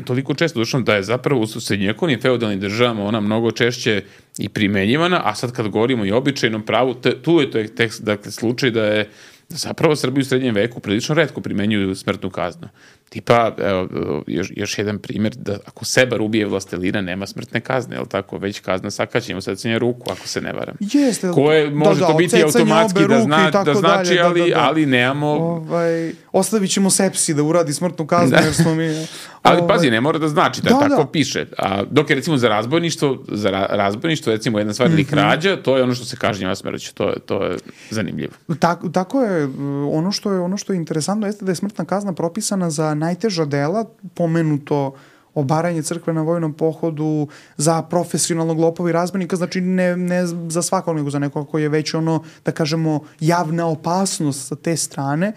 toliko često došlo da je zapravo u srednjovekovnim feudalnim državama ona mnogo češće i primenjivana, a sad kad govorimo i o običajnom pravu, tu je to dakle, slučaj da zapravo Srbi u srednjem veku prilično retko primenjuju smrtnu kaznu. Tipa, evo, još jedan primjer, da ako Sebar ubije vlastelina, nema smrtne kazne, jel tako? Već kazna sakaćenja, secanje ruku, ako se ne varam. Jeste. Koje može to biti automatski da znači, ali nemamo... Ostavit ćemo sepsi da uradi smrtnu kaznu, jer smo mi... Ali pazi, ne mora da znači, da tako piše. Dok je recimo za razbojništvo, recimo jedna stvar ili krađa, to je ono što se kažnjava smrću. To je zanimljivo. Tako je. Ono što je interesantno jeste da je smrtna kazna propisana za najteža dela, pomenuto obaranje crkve na vojnom pohodu, za profesionalnog lopova i razbojnika, znači ne za svakog, nego za nekog koji je već da kažemo, javna opasnost sa te strane,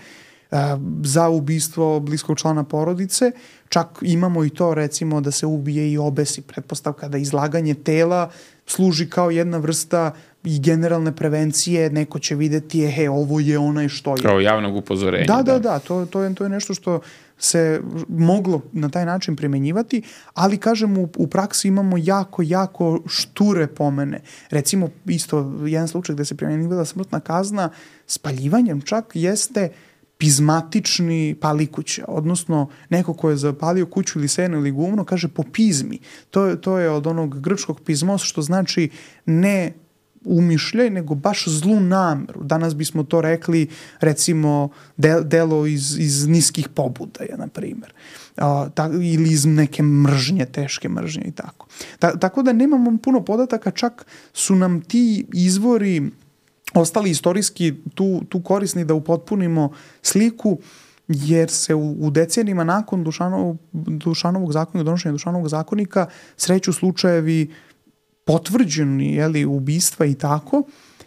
za ubistvo bliskog člana porodice. Čak imamo i to, recimo, da se ubije i obesi, pretpostavka da izlaganje tela služi kao jedna vrsta i generalne prevencije, neko će videti, ovo je onaj što je. Kao javnog upozorenja. Da, to je nešto što se moglo na taj način primenjivati, ali kažem u praksi imamo jako šture pomene. Recimo isto jedan slučaj gde se primjenjivala smrtna kazna spaljivanjem čak jeste pizmatični pali kuće, odnosno neko ko je zapalio kuću ili seno ili gumno kaže po pizmi. To je od onog grčkog pizmos, što znači ne umišljaj, nego baš zlu nameru. Danas bismo to rekli, recimo, delo iz niskih pobudaja, na primjer. Ili iz neke mržnje, teške mržnje i tako. Tako da nemamo puno podataka, čak su nam ti izvori ostali istorijski tu korisni da upotpunimo sliku, jer se u decenijima nakon Dušanovog zakonika, donošenja Dušanovog zakonika, sreću slučajevi potvrđeni, ubistva i tako,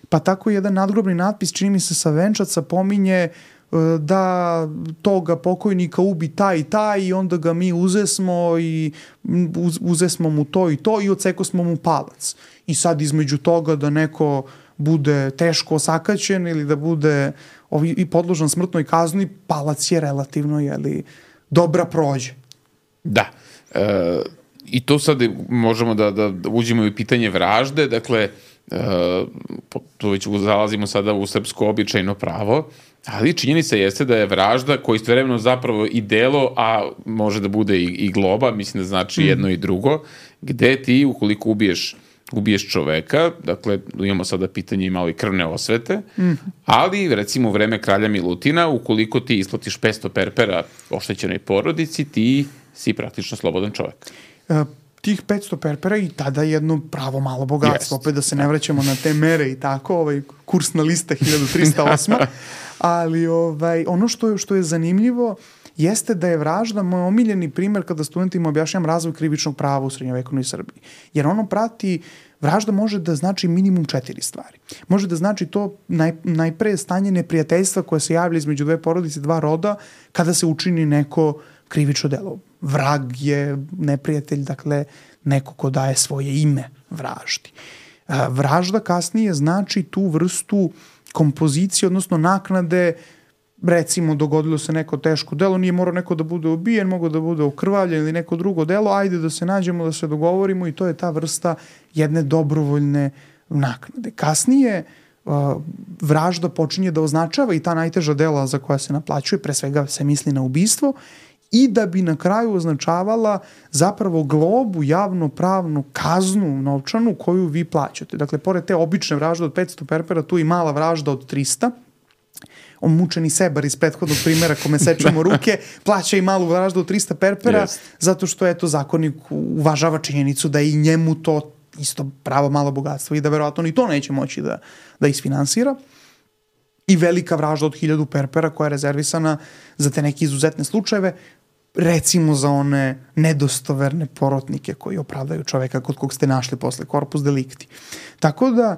pa tako jedan nadgrobni natpis, čini mi se sa venčaca, pominje da toga pokojnika ubi taj i taj i onda ga mi uzesmo mu to i to i odsekosmo mu palac. I sad između toga da neko bude teško osakaćen ili da bude i podložan smrtnoj kazni, palac je relativno dobra prođe. Da. I to sad možemo da uđemo i pitanje vražde, dakle, tu već zalazimo sada u srpsko običajno pravo, ali činjenica jeste da je vražda koja istovremeno zapravo i delo, a može da bude i globa, mislim da znači jedno i drugo, gde ti ukoliko ubiješ ubiješ čoveka, dakle, imamo sada pitanje i malo i krvne osvete, ali, recimo, u vreme kralja Milutina, ukoliko ti isplatiš 500 perpera oštećenoj porodici, ti si praktično slobodan čovek. Tih 500 perpera i tada jedno pravo malo bogatstvo, opet da se ne vraćamo na te mere i tako, kursna lista 1308, ali ono što je zanimljivo jeste da je vražda moj omiljeni primer kada studentima objašnjam razvoj krivičnog prava u srednjovekovnoj Srbiji. Jer ono prati, vražda može da znači minimum 4 stvari. Može da znači to najpre stanje neprijateljstva koje se javlja između dve porodice, dva roda, kada se učini neko krivično delo. Vrag je neprijatelj, dakle, neko ko daje svoje ime vraždi. Vražda kasnije znači tu vrstu kompozicije, odnosno naknade, recimo dogodilo se neko teško delo, nije morao neko da bude ubijen, mogo da bude okrvavljen ili neko drugo delo, ajde da se nađemo, da se dogovorimo i to je ta vrsta jedne dobrovoljne naknade. Kasnije vražda počinje da označava i ta najteža dela za koja se naplaćuje, pre svega se misli na ubistvo, i da bi na kraju označavala zapravo globu, javno-pravnu kaznu novčanu koju vi plaćate. Dakle, pored te obične vražde od 500 perpera, tu i mala vražda od 300, mučeni sebar iz prethodnog primjera kome sečemo ruke, plaća i malu vraždu od 300 perpera, zato što eto zakonik uvažava činjenicu da i njemu to isto pravo malo bogatstvo i da verovatno ni to neće moći da isfinansira. I velika vražda od 1000 perpera koja je rezervisana za te neke izuzetne slučajeve, recimo za one nedostoverne porotnike koji opravdaju čoveka kod kog ste našli posle corpus delicti. Tako da,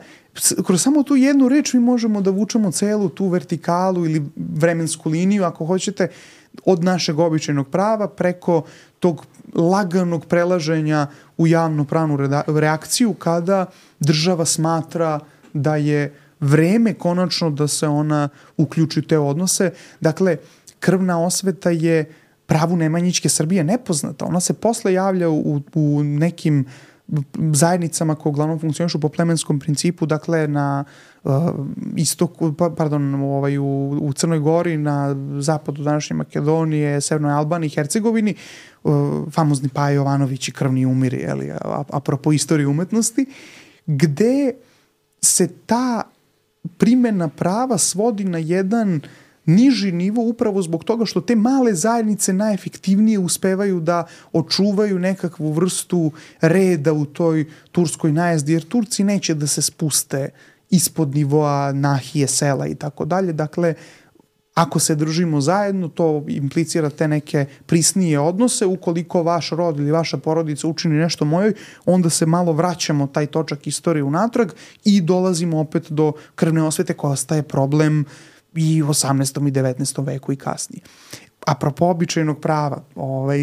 kroz samo tu jednu reč mi možemo da vučemo celu tu vertikalu ili vremensku liniju, ako hoćete, od našeg običajnog prava preko tog laganog prelaženja u javno-pravnu reakciju kada država smatra da je vreme konačno da se ona uključi u te odnose. Dakle, krvna osveta je pravu Nemanjićke Srbije nepoznata. Ona se posle javlja u nekim zajednicama koje uglavnom funkcionišu po plemenskom principu, dakle na istoku, u Crnoj Gori, na zapadu današnje Makedonije, Severnoj Albaniji, Hercegovini, famozni Paja Jovanović i krvni umiri, apropo istorije umetnosti, gde se ta primjena prava svodi na jedan niži nivo upravo zbog toga što te male zajednice najefektivnije uspevaju da očuvaju nekakvu vrstu reda u toj turskoj najezdi, jer Turci neće da se spuste ispod nivoa nahije, sela i tako dalje. Dakle, ako se držimo zajedno, to implicira te neke prisnije odnose. Ukoliko vaš rod ili vaša porodica učini nešto mojoj, onda se malo vraćamo taj točak istorije unatrag i dolazimo opet do krvne osvete koja ostaje problem i u 18. i 19. veku i kasnije. Apropo običajnog prava,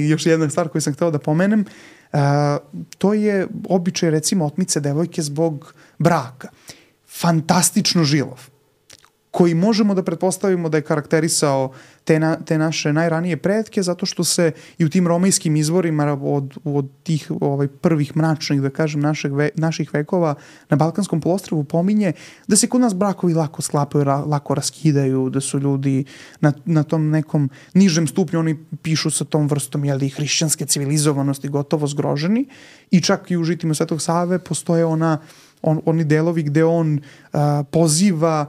još jedna stvar koju sam hteo da pomenem, to je običaj recimo otmice devojke zbog braka. Fantastično žilov, koji možemo da pretpostavimo da je karakterisao te naše najranije pretke, zato što se i u tim romejskim izvorima od tih prvih mračnih, da kažem, naših vekova na Balkanskom poluostrvu pominje da se kod nas brakovi lako sklapaju, lako raskidaju, da su ljudi na tom nekom nižem stupnju, oni pišu sa tom vrstom hrišćanske civilizovanosti gotovo zgroženi, i čak i u žitima Svetog Save postoje oni delovi gde on poziva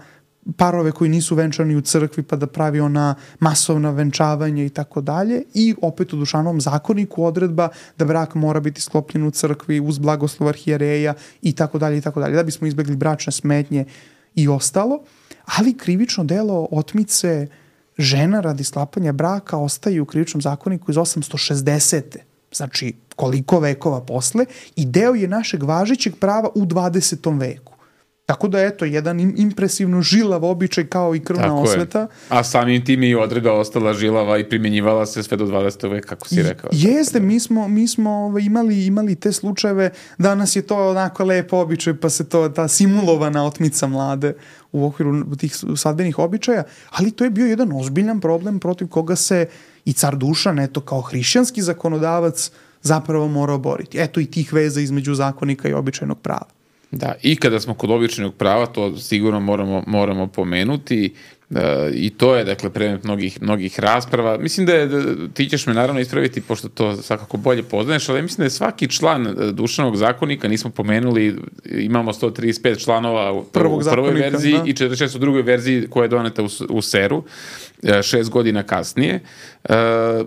parove koji nisu venčani u crkvi pa da pravi ona masovna venčavanja i tako dalje, i opet u Dušanovom zakoniku odredba da brak mora biti sklopljen u crkvi uz blagoslov arhijereja i tako dalje, da bismo izbegli bračne smetnje i ostalo. Ali krivično delo otmice žena radi sklapanja braka ostaje u krivičnom zakoniku iz 860. Znači koliko vekova posle, i deo je našeg važećeg prava u 20. veku. Tako da, eto, jedan impresivno žilav običaj kao i krvna osveta. A samim tim i odredba ostala žilava i primjenjivala se sve do 20. veka, kako si rekao. Jeste, mi smo imali te slučajeve, danas je to onako lepo običaj, pa se ta simulovana otmica mlade u okviru tih svadbenih običaja, ali to je bio jedan ozbiljan problem protiv koga se i car Dušan, eto, kao hrišćanski zakonodavac zapravo morao boriti. Eto i tih veza između zakonika i običajnog prava. Da, i kada smo kod običajnog prava, to sigurno moramo pomenuti, I to je, dakle, predmet mnogih rasprava. Mislim da ti ćeš me naravno ispraviti, pošto to svakako bolje poznaješ, ali mislim da je svaki član Dušanovog zakonika, nismo pomenuli, imamo 135 članova u prvoj verziji i 46 u drugoj verziji koja je doneta u Seru, 6 godina kasnije.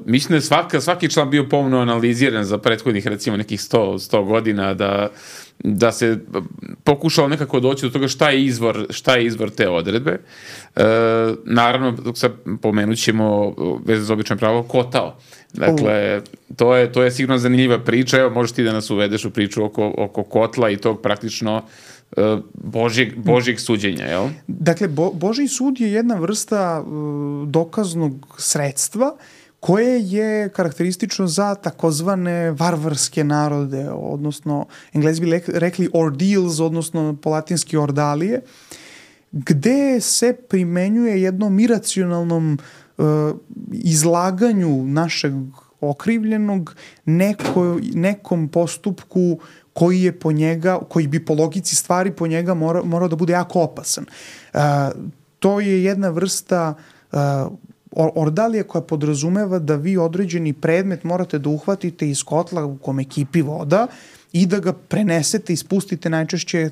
Mislim da je svaki član bio pomno analiziran za prethodnih, recimo, nekih 100 godina, da se pokušalo nekako doći do toga šta je izvor te odredbe. Naravno, sad pomenut ćemo veze za obično pravo kotao. Dakle, to je sigurno zanimljiva priča. Evo, možeš ti da nas uvedeš u priču oko kotla i tog praktično Božjeg suđenja, jel? Dakle, Božji sud je jedna vrsta dokaznog sredstva koje je karakteristično za takozvane varvarske narode, odnosno Englezi bi rekli ordeals, odnosno po latinski ordalije, gde se primenjuje jednom iracionalnom izlaganju našeg okrivljenog nekom postupku koji bi po logici stvari po njega morao da bude jako opasan. To je jedna vrsta ordalije koja podrazumeva da vi određeni predmet morate da uhvatite iz kotla u kome kipi voda i da ga prenesete i spustite. Najčešće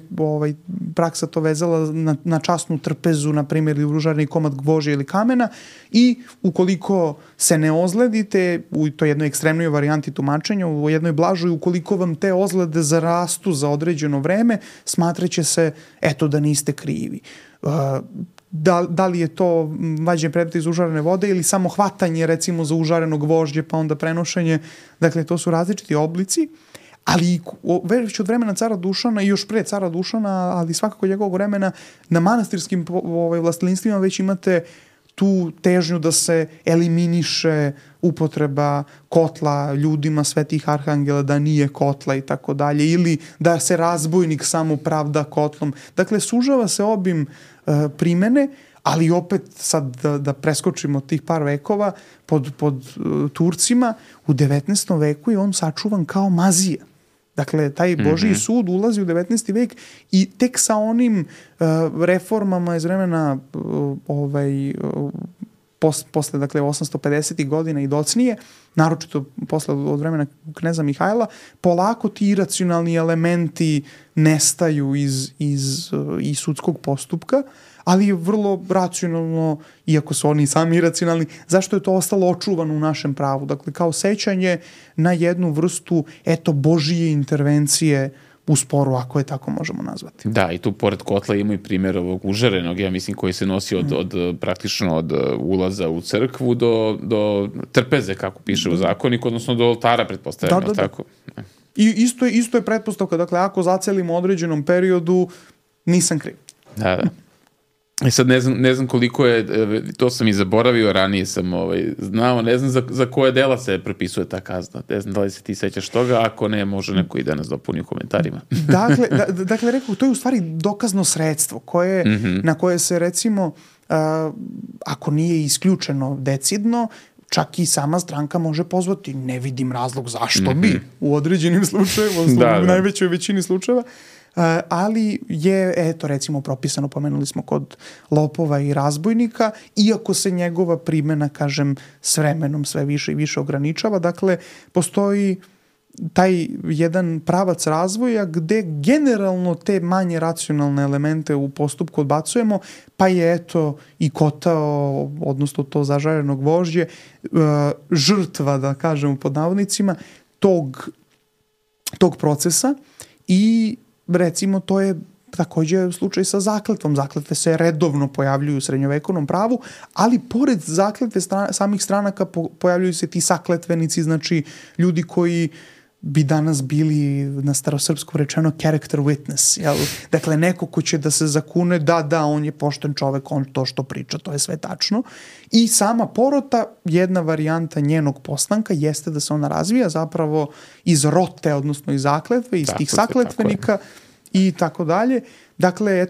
praksa to vezala na časnu trpezu, na primjer, ili užarni komad gvožđa ili kamena, i ukoliko se ne ozledite, u toj jednoj ekstremnoj varijanti tumačenja, u jednoj blažoj, ukoliko vam te ozlede zarastu za određeno vreme, smatraće se da niste krivi. Da li je to vađenje predmeta iz užarene vode ili samo hvatanje, recimo, za užareno gvožđe pa onda prenošenje, dakle to su različiti oblici, ali već od vremena cara Dušana i još pre cara Dušana, ali svakako njegovog vremena, na manastirskim vlastinstvima već imate tu težnju da se eliminiše upotreba kotla ljudima svetih arhangela, da nije kotla i tako dalje, ili da se razbojnik samo pravda kotlom. Dakle, sužava se obim primene, ali opet sad da preskočimo tih par vekova, pod Turcima u 19. veku je on sačuvan kao mazija. Dakle, taj Božji sud ulazi u 19. vek i tek sa onim reformama iz vremena posle, dakle, 850. godina i docnije, naročito posle od vremena kneza Mihajla, polako ti iracionalni elementi nestaju iz sudskog postupka, ali je vrlo racionalno, iako su oni sami iracionalni, zašto je to ostalo očuvano u našem pravu. Dakle, kao sećanje na jednu vrstu, Božije intervencije u sporu, ako je tako možemo nazvati. Da, i tu pored kotla ima i primjer ovog užarenog, ja mislim, koji se nosi praktično od ulaza u crkvu do trpeze, kako piše u zakoniku, odnosno do oltara, pretpostavljamo. Tako. I isto je pretpostavka, dakle, ako zacelimo određenom periodu, nisam kriv. Da. I sad ne znam koliko je, to sam i zaboravio, ranije sam znao, ne znam za koje dela se prepisuje ta kazna. Ne znam da li se ti sećaš toga, ako ne, može neko i da nas dopuni u komentarima. Dakle, rekao, to je u stvari dokazno sredstvo na koje se, recimo, ako nije isključeno decidno, čak i sama stranka može pozvati. Ne vidim razlog zašto bi u određenim slučajevima, u najvećoj većini slučajeva. Ali je, recimo, propisano, pomenuli smo, kod lopova i razbojnika, iako se njegova primjena, kažem, s vremenom sve više i više ograničava. Dakle, postoji taj jedan pravac razvoja gde generalno te manje racionalne elemente u postupku odbacujemo, pa je i kotao, odnosno to zažareno gvožđe, žrtva, da kažemo pod navodnicima, tog procesa. I recimo, to je također slučaj sa zakletvom. Zakletve se redovno pojavljuju u srednjovekovnom pravu, ali pored zakletve samih stranaka pojavljuju se ti sakletvenici, znači ljudi koji bi danas bili, na starosrpskom rečeno, character witness. Jel? Dakle, neko ko će da se zakune, da, on je pošten čovek, on to što priča, to je sve tačno. I sama porota, jedna varijanta njenog postanka, jeste da se ona razvija zapravo iz rote, odnosno iz zakletve, iz tih sakletvenika i tako dalje. Dakle,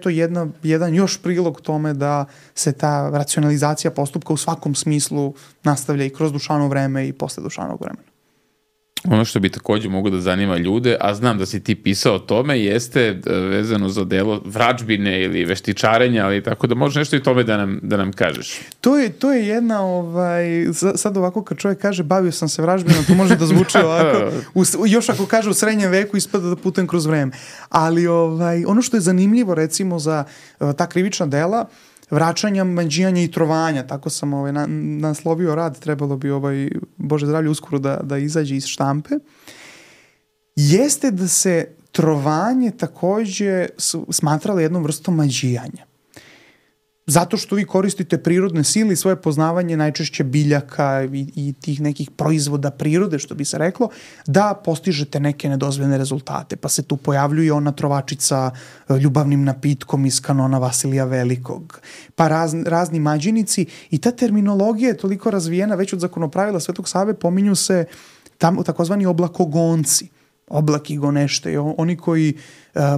jedan još prilog tome da se ta racionalizacija postupka u svakom smislu nastavlja i kroz Dušanovo vreme i posle Dušanovog vremena. Ono što bi takođe mogu da zanima ljude, a znam da si ti pisao o tome, jeste vezano za delo vračbine ili veštičarenja, ali tako da može nešto i tome da nam kažeš. To je jedna, sad ovako kad čovjek kaže bavio sam se vražbinom, to može da zvuči ovako, još ako kaže u srednjem veku ispada da putujem kroz vreme. Ali ono što je zanimljivo recimo za ta krivična dela, vraćanja, mađijanja i trovanja, tako sam naslovio rad, trebalo bi Bože zdravlje uskoro da izađe iz štampe, jeste da se trovanje takođe smatralo jednom vrstom mađijanja. Zato što vi koristite prirodne sile i svoje poznavanje najčešće biljaka i tih nekih proizvoda prirode, što bi se reklo, da postižete neke nedozvoljene rezultate. Pa se tu pojavljuje ona trovačica ljubavnim napitkom iz kanona Vasilija Velikog. Pa razni mađinici i ta terminologija je toliko razvijena već od zakonopravila Svetog Save, pominju se tamo takozvani oblakogonci. Oblaki gonešte, oni koji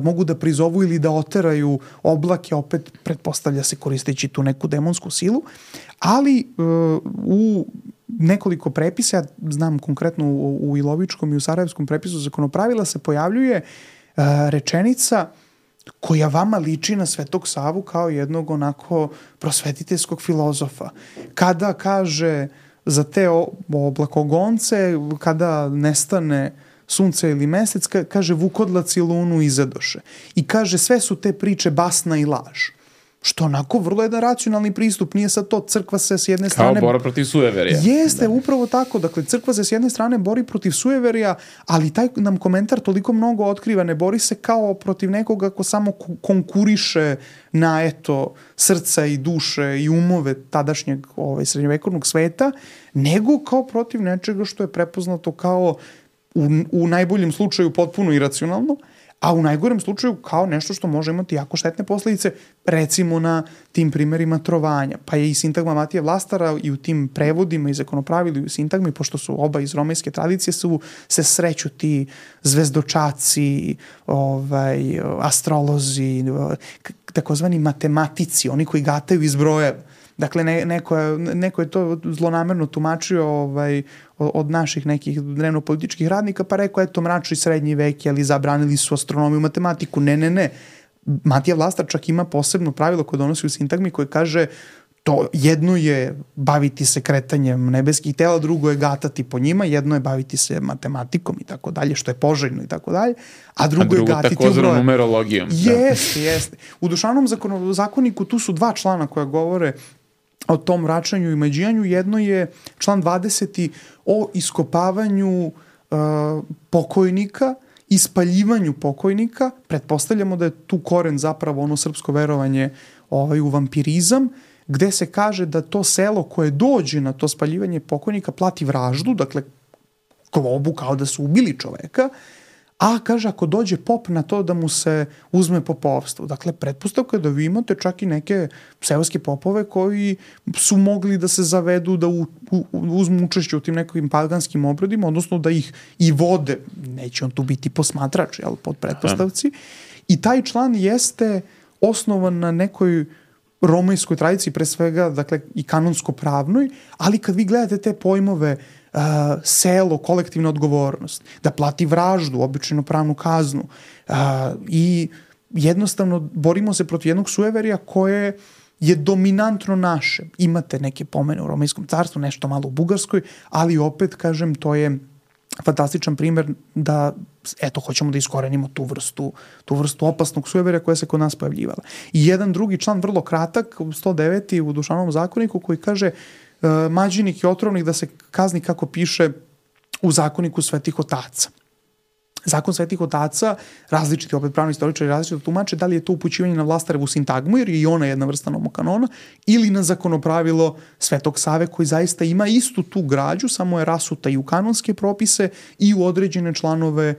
mogu da prizovu ili da oteraju oblake, opet pretpostavlja se koristeći tu neku demonsku silu, ali u nekoliko prepisa, ja znam konkretno u Ilovičkom i u Sarajevskom prepisu zakonopravila se pojavljuje rečenica koja vama liči na Svetog Savu kao jednog onako prosvetiteljskog filozofa. Kada kaže za te oblakogonce, kada nestane sunce ili mesec, kaže vukodlaci lunu izadoše. I kaže sve su te priče basna i laž. Što onako vrlo jedan racionalni pristup, nije sad to, crkva se s jedne strane... Kao bora protiv sujeverija. Jeste, upravo tako, dakle crkva se s jedne strane bori protiv sujeverija, ali taj nam komentar toliko mnogo otkriva, ne bori se kao protiv nekoga ko samo konkuriše na srca i duše i umove tadašnjeg srednjovekovnog sveta, nego kao protiv nečega što je prepoznato kao u najboljem slučaju potpuno iracionalno, a u najgorem slučaju kao nešto što može imati jako štetne posledice, recimo na tim primerima trovanja. Pa je i sintagma Matije Vlastara i u tim prevodima i zakonopravili u sintagmi, pošto su oba iz romejske tradicije, se sreću ti zvezdočaci, astrolozi, takozvani matematici, oni koji gataju iz brojeva. Dakle, neko je to zlonamerno tumačio od naših nekih dnevno-političkih radnika, pa rekao, mračni srednji vek, ali zabranili su astronomiju i matematiku. Ne. Matija Vlastar čak ima posebno pravilo koje donosi u sintagmi koje kaže to jedno je baviti se kretanjem nebeskih tela, drugo je gatati po njima, jedno je baviti se matematikom i tako dalje, što je poželjno i tako dalje, a drugo je gatiti u broje. Takozvanom numerologijom. Jeste. U Dušanom zakoniku tu su 2 člana koja govore o tom vraćanju i mađijanju. Jedno je član 20. o iskopavanju pokojnika, ispaljivanju pokojnika. Pretpostavljamo da je tu koren zapravo ono srpsko verovanje u vampirizam, gde se kaže da to selo koje dođe na to spaljivanje pokojnika plati vraždu, dakle globu kao da su ubili čoveka, a kaže ako dođe pop na to da mu se uzme popovstvo. Dakle, pretpostavka je da vi imate čak i neke seoske popove koji su mogli da se zavedu da uzmu učešće u tim nekim paganskim obredima, odnosno da ih i vode, neće on tu biti posmatrač, pod pretpostavci. I taj član jeste osnovan na nekoj romejskoj tradiciji, pre svega, dakle, i kanonsko-pravnoj, ali kad vi gledate te pojmove selo, kolektivna odgovornost, da plati vraždu, običajno pravnu kaznu i jednostavno borimo se protiv jednog sujeverija koje je dominantno naše. Imate neke pomene u Romejskom carstvu, nešto malo u Bugarskoj, ali opet, kažem, to je fantastičan primer da, hoćemo da iskorenimo tu vrstu opasnog sujeverja koja se kod nas pojavljivala. I jedan drugi član, vrlo kratak, 109. u Dušanovom zakoniku, koji kaže mađinik i otrovnik da se kazni kako piše u zakoniku Svetih otaca. Zakon Svetih otaca, različiti opet pravni istoričari različito tumače da li je to upućivanje na Vlastarevu sintagmu, jer je i ona jedna vrsta nomokanona, ili na zakonopravilo Svetog Save koji zaista ima istu tu građu, samo je rasuta i u kanonske propise i u određene članove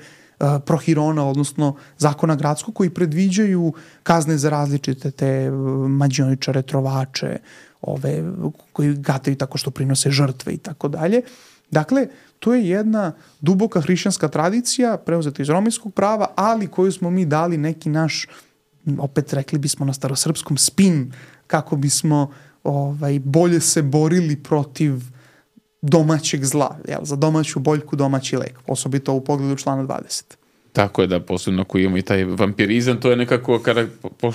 prohirona, odnosno zakona gradskog, koji predviđaju kazne za različite te mađioničare, trovače, koji gataju tako što prinose žrtve i tako dalje. Dakle, to je jedna duboka hrišćanska tradicija, preuzeta iz romejskog prava, ali koju smo mi dali neki naš, opet rekli bismo na starosrpskom, spin, kako bismo bolje se borili protiv domaćeg zla, za domaću boljku, domaći lek, osobito u pogledu člana 20. Tako je, da, posebno ako imamo i taj vampirizam, to je nekako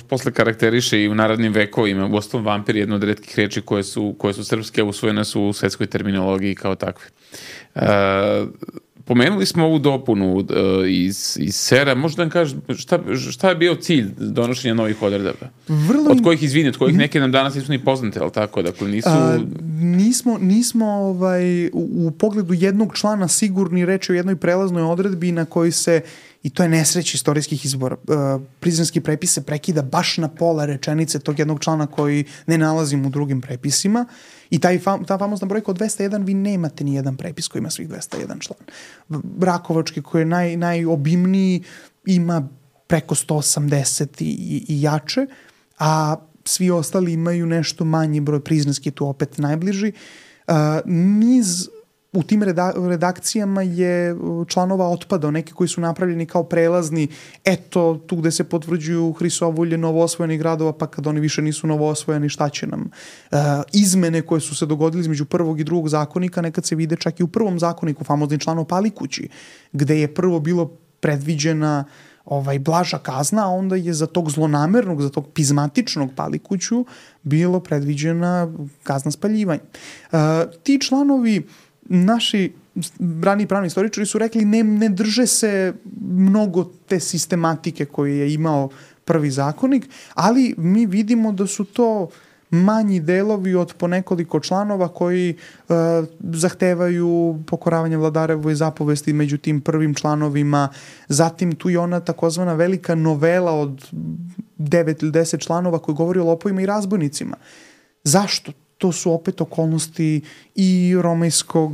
posle karakteriše i u narodnim vekovima. U osnovu vampir je jedna od retkih reči koje su srpske, usvojene su u svetskoj terminologiji kao takve. Pomenuli smo ovu dopunu iz Sera, možda nam kažeš šta je bio cilj donošenja novih odredaba? Od kojih neke nam danas nisu ni poznate, ali tako? Dakle, nismo u pogledu jednog člana sigurni reći o jednoj prelaznoj odredbi na kojoj se, i to je nesreć istorijskih izbora, prizrenski prepis se prekida baš na pola rečenice tog jednog člana koji ne nalazimo u drugim prepisima. I ta famozna brojka od 201, vi nemate ni jedan prepis koji ima svih 201 član. Brakovački, koji je najobimniji, ima preko 180 i jače, a svi ostali imaju nešto manji broj, prizrenski tu opet najbliži. U tim redakcijama je članova otpadao, neki koji su napravljeni kao prelazni, eto, tu gde se potvrđuju Hrisovulje novoosvojenih gradova, pa kad oni više nisu novoosvojeni, šta će nam? Izmene koje su se dogodile između prvog i drugog zakonika, nekad se vide čak i u prvom zakoniku, famozni član o palikući, gde je prvo bilo predviđena blaža kazna, a onda je za tog zlonamernog, za tog pizmatičnog palikuću bilo predviđena kazna spaljivanja. Ti članovi, naši rani pravni istoričari su rekli ne drže se mnogo te sistematike koju je imao prvi zakonik, ali mi vidimo da su to manji delovi od po nekoliko članova koji zahtevaju pokoravanje vladarevoj zapovesti među tim prvim članovima. Zatim tu je ona takozvana velika novela od 9 ili 10 članova koji govori o lopovima i razbojnicima. Zašto? To su opet okolnosti i romejskog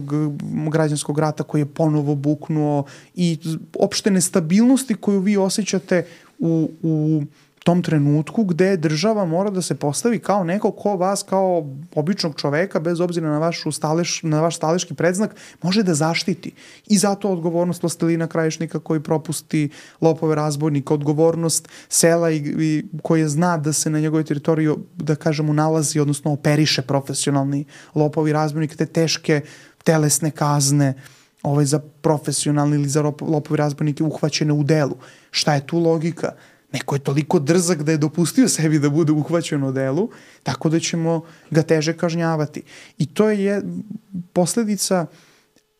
građanskog rata koji je ponovo buknuo i opšte nestabilnosti koju vi osjećate u tom trenutku gde država mora da se postavi kao neko ko vas kao običnog čoveka, bez obzira na vaš staleški predznak, može da zaštiti. I zato odgovornost vlastelina krajišnika koji propusti lopove razbojnika, odgovornost sela i koje zna da se na njegovoj teritoriji, da kažemo, nalazi, odnosno operiše profesionalni lopovi razbojnik, te teške telesne kazne za profesionalni ili za lopovi razbojnike uhvaćene u delu. Šta je tu logika? Neko je toliko drzak da je dopustio sebi da bude uhvaćen u delu, tako da ćemo ga teže kažnjavati. I to je posledica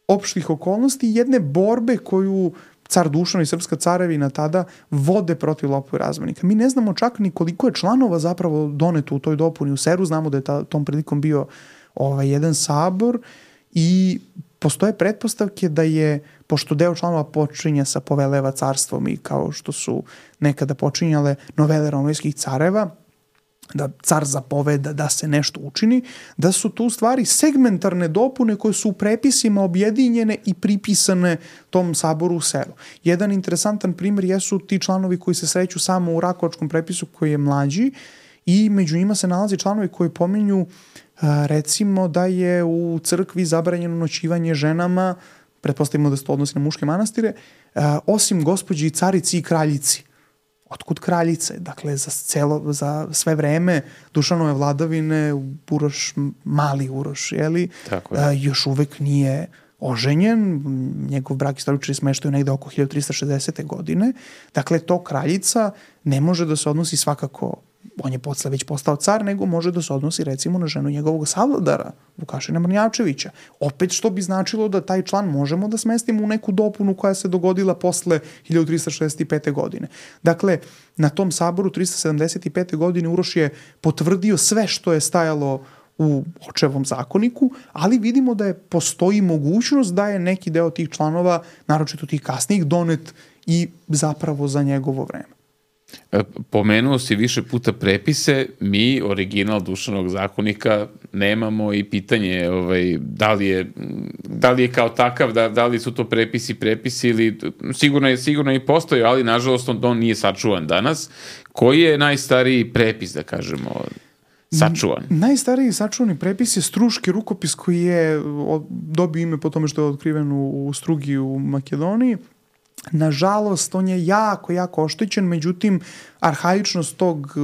opštih okolnosti, jedne borbe koju car Dušan i srpska carevina tada vode protiv lopova i razbojnika. Mi ne znamo čak ni koliko je članova zapravo doneto u toj dopuni u Seru, znamo da je tom prilikom bio jedan sabor i postoje pretpostavke da je, pošto deo članova počinje sa poveleva carstvom i kao što su nekada počinjale novele romejskih careva, da car zapoveda da se nešto učini, da su tu stvari segmentarne dopune koje su u prepisima objedinjene i pripisane tom saboru u Seru. Jedan interesantan primjer jesu ti članovi koji se sreću samo u Rakovačkom prepisu koji je mlađi i među njima se nalazi članovi koji pominju recimo da je u crkvi zabranjeno noćivanje ženama, pretpostavimo da se to odnosi na muške manastire, osim gospođi carici i kraljici. Otkud kraljice? Dakle, za sve vreme Dušanove vladavine mali Uroš, još uvek nije oženjen, njegov brak istoričari smeštaju negde oko 1360. godine. Dakle, to kraljica ne može da se odnosi svakako, on je posle već postao car, nego može da se odnosi recimo na ženu njegovog savladara, Vukašina Mrnjavčevića. Opet što bi značilo da taj član možemo da smestimo u neku dopunu koja se dogodila posle 1365. godine. Dakle, na tom saboru 375. godine Uroš je potvrdio sve što je stajalo u očevom zakoniku, ali vidimo da postoji mogućnost da je neki deo tih članova, naročito tih kasnijih, donet i zapravo za njegovo vreme. Pomenuo si više puta prepise, mi original Dušanovog zakonika nemamo i pitanje da li je kao takav, da li su to prepisi ili sigurno i postoji, ali nažalost on nije sačuvan danas. Koji je najstariji prepis, da kažemo, sačuvan? Najstariji sačuvani prepis je Struški rukopis koji je dobio ime po tome što je otkriven u Strugi u Makedoniji. Nažalost, on je jako oštećen, međutim, arhaičnost tog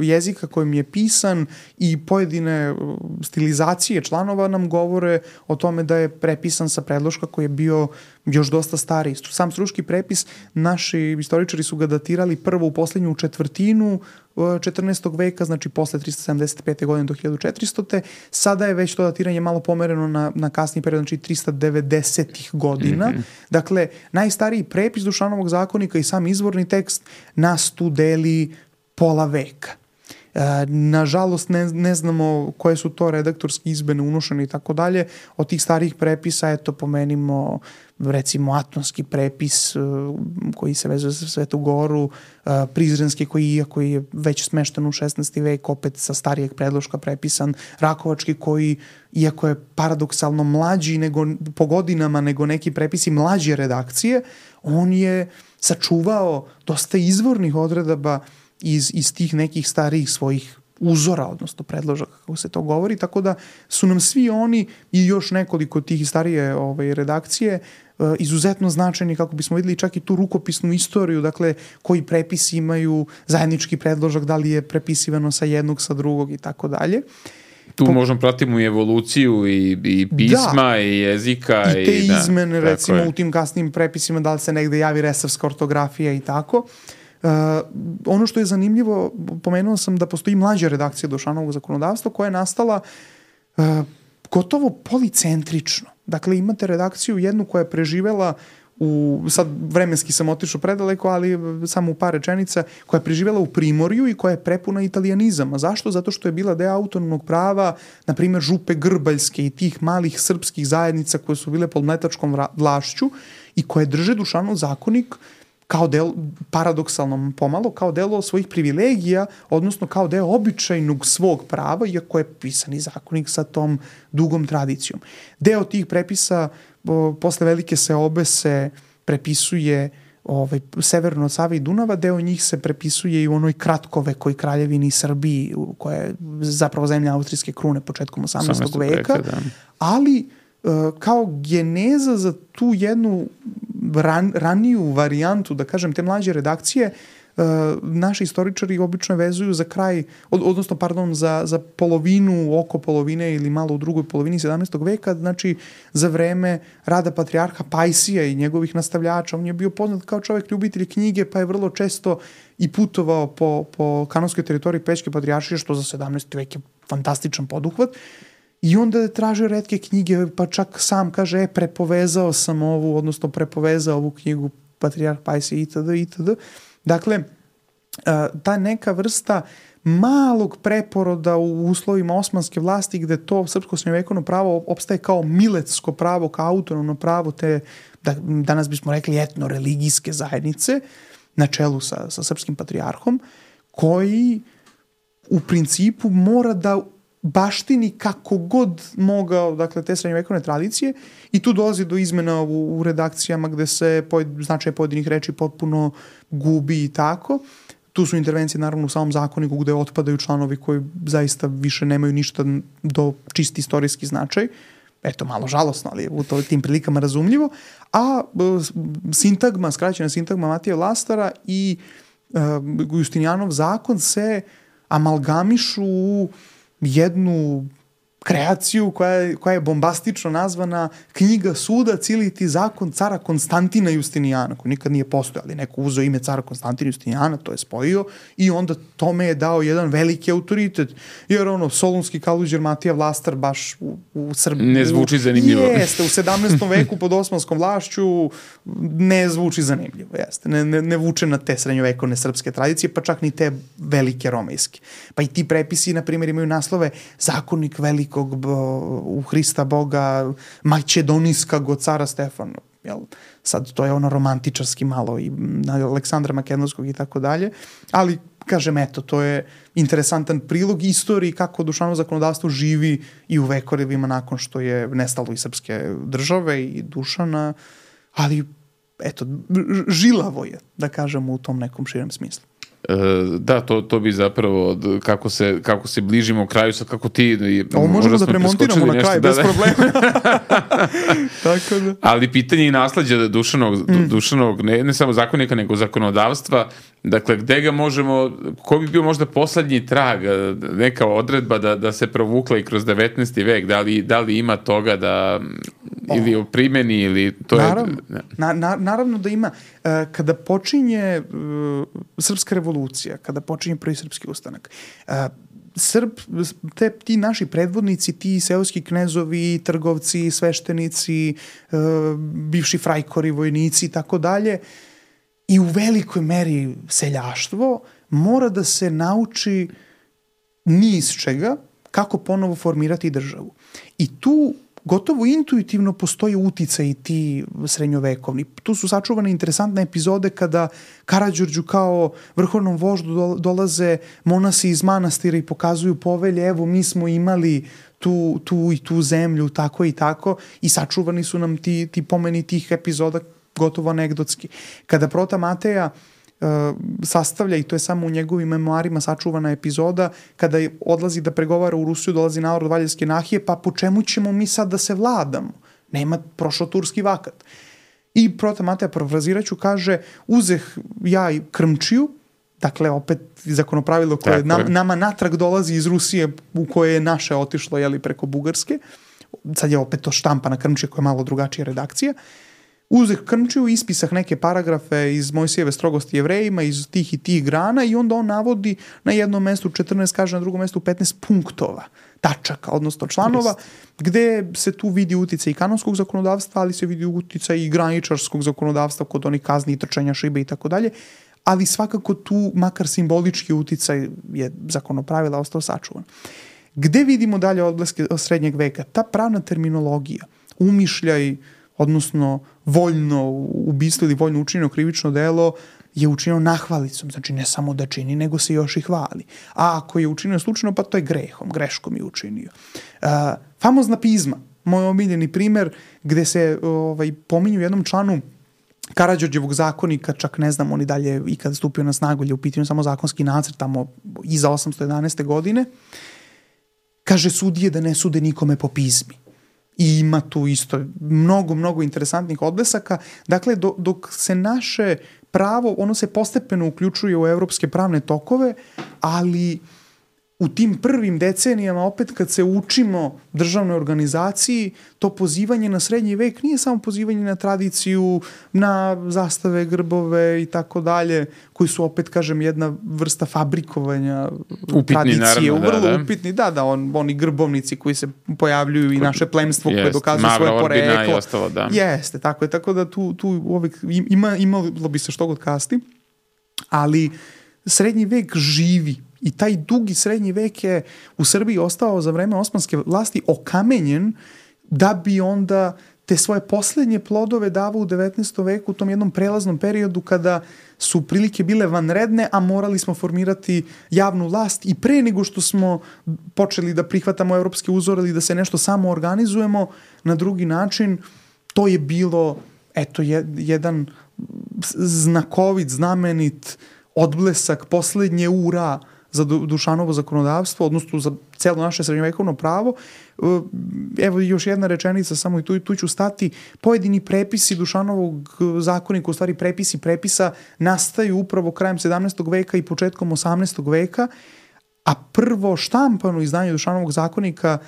jezika kojim je pisan i pojedine stilizacije članova nam govore o tome da je prepisan sa predloška koji je bio još dosta stariji. Sam struški prepis, naši istoričari su ga datirali prvo u poslednju četvrtinu 14. veka, znači posle 375. godine do 1400. Sada je već to datiranje malo pomereno na kasniji period, znači 390. godina. Dakle, najstariji prepis Dušanovog zakonika i sam izvorni tekst nas tu deli pola veka. Nažalost, ne znamo koje su to redaktorske izmene unošene i tako dalje. Od tih starijih prepisa, eto, pomenimo recimo Atonski prepis koji se vezuje za Svetu Goru, Prizrenski koji je već smešten u 16. vek, opet sa starijeg predloška prepisan, Rakovački koji, iako je paradoksalno mlađi po godinama nego neki prepisi mlađe redakcije, on je sačuvao dosta izvornih odredaba iz tih nekih starijih svojih uzora, odnosno predložaka, kako se to govori, tako da su nam svi oni i još nekoliko tih starije redakcije izuzetno značajni kako bismo videli čak i tu rukopisnu istoriju, dakle koji prepisi imaju zajednički predložak, da li je prepisivano sa jednog, sa drugog i tako dalje. Tu možemo pratimo i evoluciju i pisma i jezika. I te izmene, recimo u tim kasnim prepisima, da li se negde javi resavska ortografija i tako. Ono što je zanimljivo, pomenuo sam da postoji mlađa redakcija Dušanovog zakonodavstva koja je nastala gotovo policentrično. Dakle, imate redakciju jednu koja je preživela sad vremenski sam otišao predaleko, ali samo u par rečenica, koja je preživela u Primorju i koja je prepuna italijanizama. Zašto? Zato što je bila deo autonomnog prava, na primjer Župe Grbaljske i tih malih srpskih zajednica koje su bile pod mletačkom vlašću i koje drže Dušanov zakonik kao deo, paradoksalno pomalo, kao delo svojih privilegija, odnosno kao deo običajnog svog prava, iako je pisani zakonik sa tom dugom tradicijom. Deo tih prepisa posle Velike seobe se prepisuje severno od Save i Dunava, deo njih se prepisuje i u onoj kratkovekoj kraljevini Srbiji, koja je zapravo zemlja austrijske krune početkom 18. veka, ali kao geneza za tu jednu raniju varijantu, da kažem, te mlađe redakcije, naši istoričari obično vezuju za kraj, odnosno, za polovinu, oko polovine ili malo u drugoj polovini 17. veka, znači za vreme rada patrijarha Pajsija i njegovih nastavljača. On je bio poznat kao čovek ljubitelj knjige, pa je vrlo često i putovao po kanonskoj teritoriji Pećke patrijaršije, što za 17. vek je fantastičan poduhvat. I onda je tražio retke knjige, pa čak sam kaže, prepovezao sam prepovezao ovu knjigu Patrijarh Pajsije itd. Dakle, ta neka vrsta malog preporoda u uslovima osmanske vlasti gde to srpsko srednjovekovno pravo opstaje kao miletsko pravo, kao autonomno pravo te, danas bismo rekli, etno-religijske zajednice na čelu sa srpskim patrijarhom, koji u principu mora da baštini kako god mogao, dakle, te srednjovekovne tradicije, i tu dolazi do izmena u redakcijama gde se značaj pojedinih reči potpuno gubi i tako. Tu su intervencije naravno u samom zakoniku gde otpadaju članovi koji zaista više nemaju ništa do čisti istorijski značaj. Eto, malo žalosno, ali je u tim prilikama razumljivo. A sintagma, skraćena sintagma Matije Vlastara i Justinijanov zakon se amalgamišu u jednu kreaciju koja je bombastično nazvana Knjiga sudac ili ti zakon cara Konstantina Justinijana, koji nikad nije postojao, ali neko uzeo ime cara Konstantina Justinijana, to je spojio i onda tome je dao jedan veliki autoritet. Jer solunski kaluđer Matija Vlastar baš u Srbiji... Ne zvuči zanimljivo. Jeste, u 17. veku pod osmanskom vlašću ne zvuči zanimljivo, jeste. Ne vuče na te srednjovekovne srpske tradicije, pa čak ni te velike romejske. Pa i ti prepisi, na primjer, imaju naslove Zakonik velikog u Hrista Boga, Makedonijskog od cara Stefana. Sad to je romantičarski malo i Aleksandra Makedonskog i tako dalje, ali kažem, eto, to je interesantan prilog istoriji kako Dušanovo zakonodavstvo živi i u vekovima nakon što je nestalo i srpske države i Dušana, ali eto, žilavo je, da kažemo, u tom nekom širem smislu. Da, to bi zapravo, kako se bližimo kraju, sad kako ti... Ovo možemo da premontiramo na kraj, bez problema. Tako da. Ali pitanje i nasleđa Dušanovog, ne samo zakonika, nego zakonodavstva, dakle, gde ga možemo, ko bi bio možda poslednji trag, neka odredba da se provukla i kroz 19. vek, da li ima toga da, ili o primjeni, ili to naravno, je... Naravno da ima. Kada počinje srpska revolucija, kada počinje prvi srpski ustanak, ti naši predvodnici, ti seoski knezovi, trgovci, sveštenici, bivši frajkori, vojnici i tako dalje, i u velikoj meri seljaštvo mora da se nauči ni iz čega kako ponovo formirati državu. I tu gotovo intuitivno postoje uticaj ti srednjovekovni. Tu su sačuvane interesantne epizode kada Karađorđu kao vrhovnom voždu dolaze monasi iz manastira i pokazuju povelje, evo mi smo imali tu i tu zemlju, tako i tako, i sačuvani su nam ti pomeni tih epizoda gotovo anegdotski. Kada Prota Mateja sastavlja, i to je samo u njegovim memoarima sačuvana epizoda, kada odlazi da pregovara u Rusiju, dolazi narod Valjevske nahije, pa po čemu ćemo mi sad da se vladamo? Nema, prošao turski vakat. I Prota Mateja, parafraziraću, kaže, uzeh ja i Krmčiju, dakle opet zakonopravilo koje nama natrag dolazi iz Rusije, u koje je naše otišlo preko Bugarske, sad je opet to štampana Krmčija koja je malo drugačija redakcija, uzeh Krmčiju, ispisah neke paragrafe iz Mojsijeve strogosti Jevrejima, iz tih i tih grana, i onda on navodi na jednom mestu 14, kaže na drugom mestu 15 punktova, tačaka, odnosno članova, gde se tu vidi uticaj i kanonskog zakonodavstva, ali se vidi uticaj i graničarskog zakonodavstva kod onih kazni i trčanja šibe i tako dalje, ali svakako tu makar simbolički uticaj je zakonopravila ostao sačuvan. Gde vidimo dalje odbleske srednjeg veka? Ta pravna terminologija, umišljaj, odnosno voljno ubistvo ili voljno učinjeno krivično delo je učinjeno nahvalicom, znači ne samo da čini, nego se još i hvali. A ako je učinio slučajno, pa to je greškom je učinio. Famozna pizma, moj omiljeni primer, gde se pominju u jednom članu Karađorđevog zakonika, čak ne znam on i dalje i kada stupio na snagu, je u pitanju samo zakonski nacrt tamo iza 811. godine, kaže sudije da ne sude nikome po pizmi. I ima tu isto mnogo interesantnih odblesaka. Dakle, dok se naše pravo, ono se postepeno uključuje u evropske pravne tokove, ali u tim prvim decenijama, opet kad se učimo državnoj organizaciji, to pozivanje na srednji vek nije samo pozivanje na tradiciju, na zastave, grbove i tako dalje, koji su opet, kažem, jedna vrsta fabrikovanja upitni, tradicije. Naravno, vrlo upitni, oni grbovnici koji se pojavljuju i naše plemstvo koje dokazuje svoje poreklo. Orbina i ostalo, da. Jeste, tako je. Tako da tu uvek imalo bi se što god kasti, ali srednji vek živi. I taj dugi srednji vek je u Srbiji ostao za vreme osmanske vlasti okamenjen da bi onda te svoje posljednje plodove davao u 19. veku u tom jednom prelaznom periodu kada su prilike bile vanredne, a morali smo formirati javnu vlast i pre nego što smo počeli da prihvatamo evropske uzore ili da se nešto samo organizujemo na drugi način, to je bilo jedan znakovit, znamenit odblesak posljednje ura za Dušanovo zakonodavstvo, odnosno za celo naše srednjovekovno pravo. Evo još jedna rečenica, samo i tu ću stati. Pojedini prepisi Dušanovog zakonika, u stvari prepisi prepisa, nastaju upravo krajem 17. veka i početkom 18. veka, a prvo štampano izdanje Dušanovog zakonika,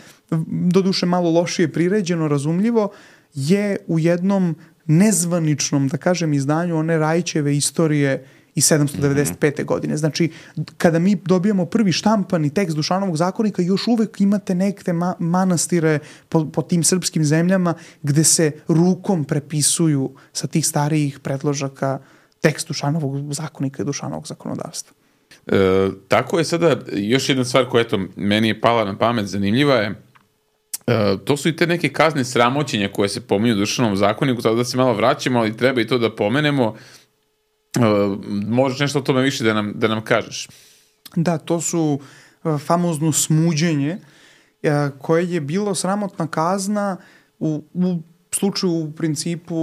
doduše malo lošije priređeno, razumljivo, je u jednom nezvaničnom, da kažem, izdanju one Rajićeve istorije i 795. godine. Znači, kada mi dobijamo prvi štampani tekst Dušanovog zakonika, još uvek imate neke manastire po tim srpskim zemljama gde se rukom prepisuju sa tih starijih predložaka tekst Dušanovog zakonika i Dušanovog zakonodavstva. Tako je sada još jedna stvar koja meni je pala na pamet, zanimljiva je, to su i te neke kazne sramoćenja koje se pominju u Dušanovom zakoniku, sada da se malo vraćamo, ali treba i to da pomenemo. Možeš nešto o tome više da nam kažeš? Da, to su famozno smuđenje koje je bilo sramotna kazna u slučaju u principu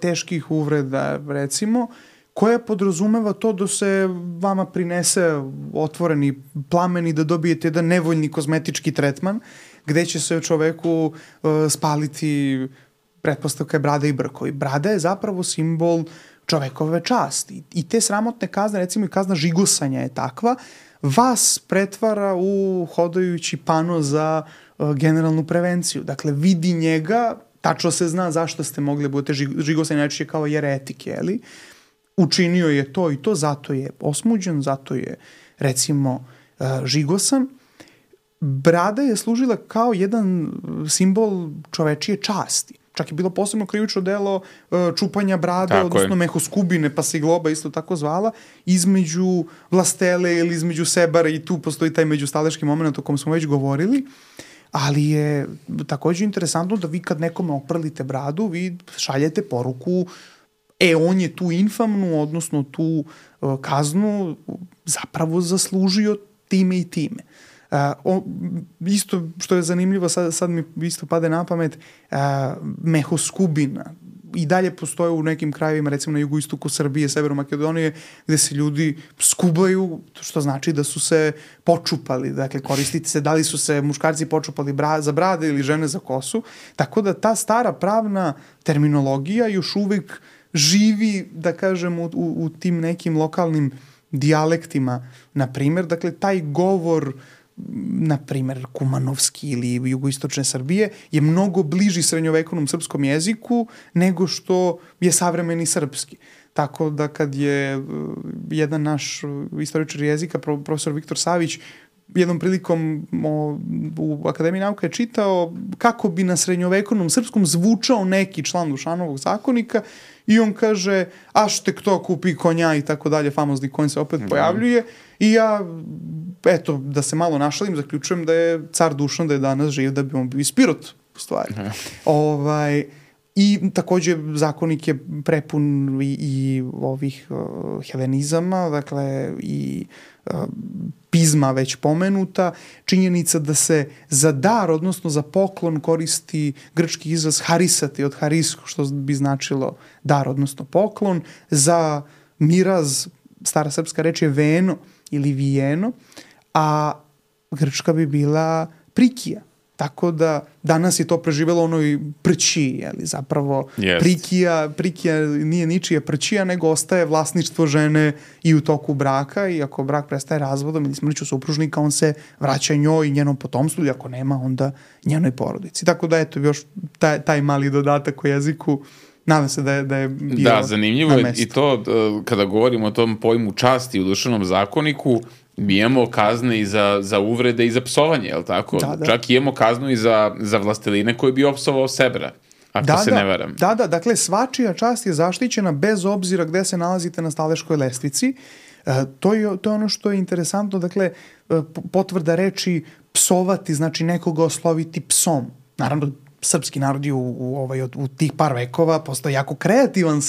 teških uvreda, recimo, koja podrazumeva to da se vama prinese otvoreni plamen i da dobijete jedan nevoljni kozmetički tretman, gde će se čoveku spaliti, pretpostavka je brada i brkovi. Brada je zapravo simbol čovekove časti. I te sramotne kazne, recimo i kazna žigosanja je takva, vas pretvara u hodajući pano za generalnu prevenciju. Dakle, vidi njega, tačno se zna zašto ste mogli budete žigosanje najčešće kao jeretik, jeli? Učinio je to i to, zato je osmuđen, zato je, recimo, žigosan. Brada je služila kao jedan simbol čovečije časti. Čak je bilo posebno krivično delo čupanja brade, tako odnosno mehoskubine, pa se i globa isto tako zvala, između vlastele ili između sebara, i tu postoji taj međustaleški moment o kom smo već govorili, ali je takođe interesantno da vi kad nekome oprlite bradu, vi šaljete poruku on je tu infamnu, odnosno tu kaznu zapravo zaslužio time i time. Isto što je zanimljivo, sad mi isto pade na pamet, mehoskubina. I dalje postoje u nekim krajevima, recimo na jugoistoku Srbije, Severu Makedonije, gde se ljudi skubaju, što znači da su se počupali. Dakle, koristiti se, da li su se muškarci počupali za brade ili žene za kosu. Tako da ta stara pravna terminologija još uvek živi, da kažem, u tim nekim lokalnim dijalektima, na primjer. Dakle, taj govor, na primjer, kumanovski ili jugoistočne Srbije, je mnogo bliži srednjovekovnom srpskom jeziku nego što je savremeni srpski. Tako da kad je jedan naš istoričar jezika, profesor Viktor Savić, jednom prilikom u Akademiji nauka je čitao kako bi na srednjovekovnom srpskom zvučao neki član Dušanovog zakonika i on kaže, aštek to kupi konja i tako dalje, famozni konj se opet pojavljuje i ja, eto, da se malo našalim, zaključujem da je car Dušan da je danas živ, da bi on bio ispirot u stvari. I takođe zakonik je prepun i ovih helenizama, dakle i pizma već pomenuta, činjenica da se za dar, odnosno za poklon koristi grčki izraz harisati od harisko, što bi značilo dar, odnosno poklon, za miraz, stara srpska reč je veno ili vijeno, a grčka bi bila prikija. Tako da danas je to preživelo onoj prći, jeli, zapravo prikija nije ničija prćija, nego ostaje vlasništvo žene i u toku braka, i ako brak prestaje razvodom ili smrću supružnika, on se vraća njoj i njenom potomstvu, i ako nema, onda njenoj porodici. Tako da, eto, još taj mali dodatak u jeziku, nadam se da je bio. Da, zanimljivo je i to, kada govorimo o tom pojmu časti u Dušanom zakoniku, mi imamo kazne i za uvrede i za psovanje, je li tako? Da. Čak imamo kaznu i za vlasteline koji bi opsovao Sebra, ako se ne varam. Da, dakle, svačija čast je zaštićena bez obzira gde se nalazite na staleškoj lestvici. To je ono što je interesantno, dakle, potvrda reči psovati, znači nekoga osloviti psom. Naravno, srpski narod je u tih par vekova postao jako kreativan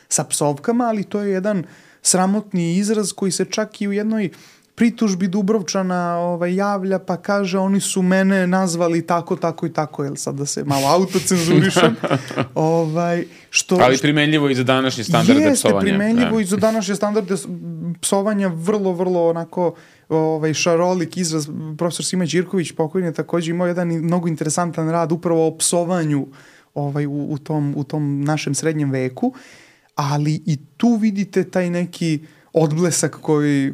sa psovkama, ali to je jedan sramotni izraz koji se čak i u jednoj pritužbi Dubrovčana javlja, pa kaže, oni su mene nazvali tako, tako i tako, jel sad da se malo autocenzurišem. Ali primenljivo i za današnje standarde psovanja. Jeste primenljivo i za današnje standarde psovanja, vrlo, vrlo onako šarolik izraz. Profesor Sima Đirković, pokojni, je također imao jedan mnogo interesantan rad upravo o psovanju u tom našem srednjem veku, ali i tu vidite taj neki odblesak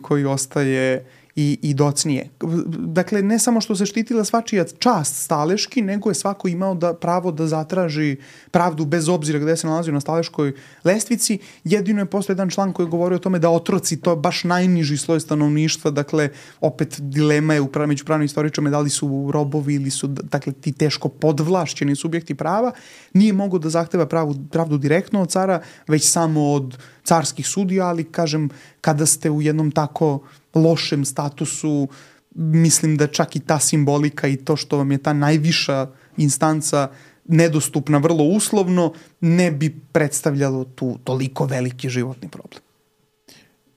koji ostaje i docnije. Dakle, ne samo što se štitila svačija čast staleški, nego je svako imao pravo da zatraži pravdu bez obzira gde se nalazio na staleškoj lestvici. Jedino je postoji jedan član koji govori o tome da otroci, to je baš najniži sloj stanovništva, dakle, opet dilema je među pravnim istoričarima da li su robovi ili su, dakle, ti teško podvlašćeni subjekti prava, nije mogo da zahteva pravdu direktno od cara, već samo od carskih sudija, ali, kažem, kada ste u jednom tako lošem statusu, mislim da čak i ta simbolika i to što vam je ta najviša instanca nedostupna vrlo uslovno, ne bi predstavljalo tu toliko veliki životni problem.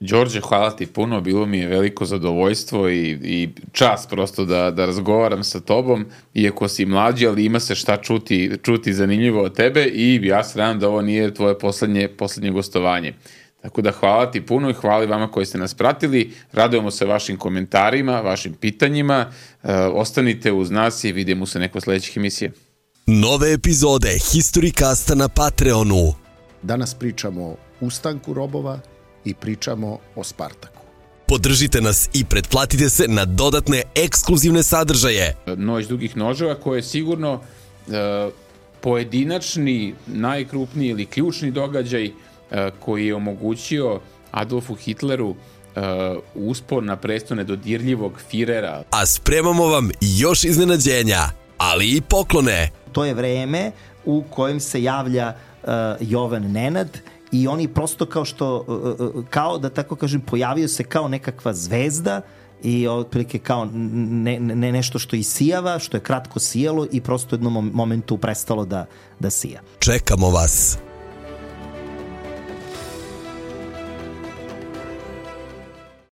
Đorđe, hvala ti puno, bilo mi je veliko zadovoljstvo i čast prosto da razgovaram sa tobom, iako si mlađi, ali ima se šta čuti zanimljivo od tebe i ja se nadam da ovo nije tvoje poslednje gostovanje. Tako da hvala ti puno i hvala vama koji ste nas pratili. Radujemo se vašim komentarima, vašim pitanjima. Ostanite uz nas i vidimo se neko sledećih emisija. Nove epizode Historicasta na Patreonu. Danas pričamo o ustanku robova i pričamo o Spartaku. Podržite nas i pretplatite se na dodatne ekskluzivne sadržaje. Noć dugih noževa koje je sigurno pojedinačni, najkrupniji ili ključni događaj koji je omogućio Adolfu Hitleru uspon na presto nedodirljivog Firera. A spremamo vam još iznenađenja, ali i poklone. To je vreme u kojem se javlja Jovan Nenad i oni prosto kao da tako kažem, pojavio se kao nekakva zvezda i otprilike kao nešto što isijava, što je kratko sijalo i prosto u jednom momentu prestalo da sija. Čekamo vas.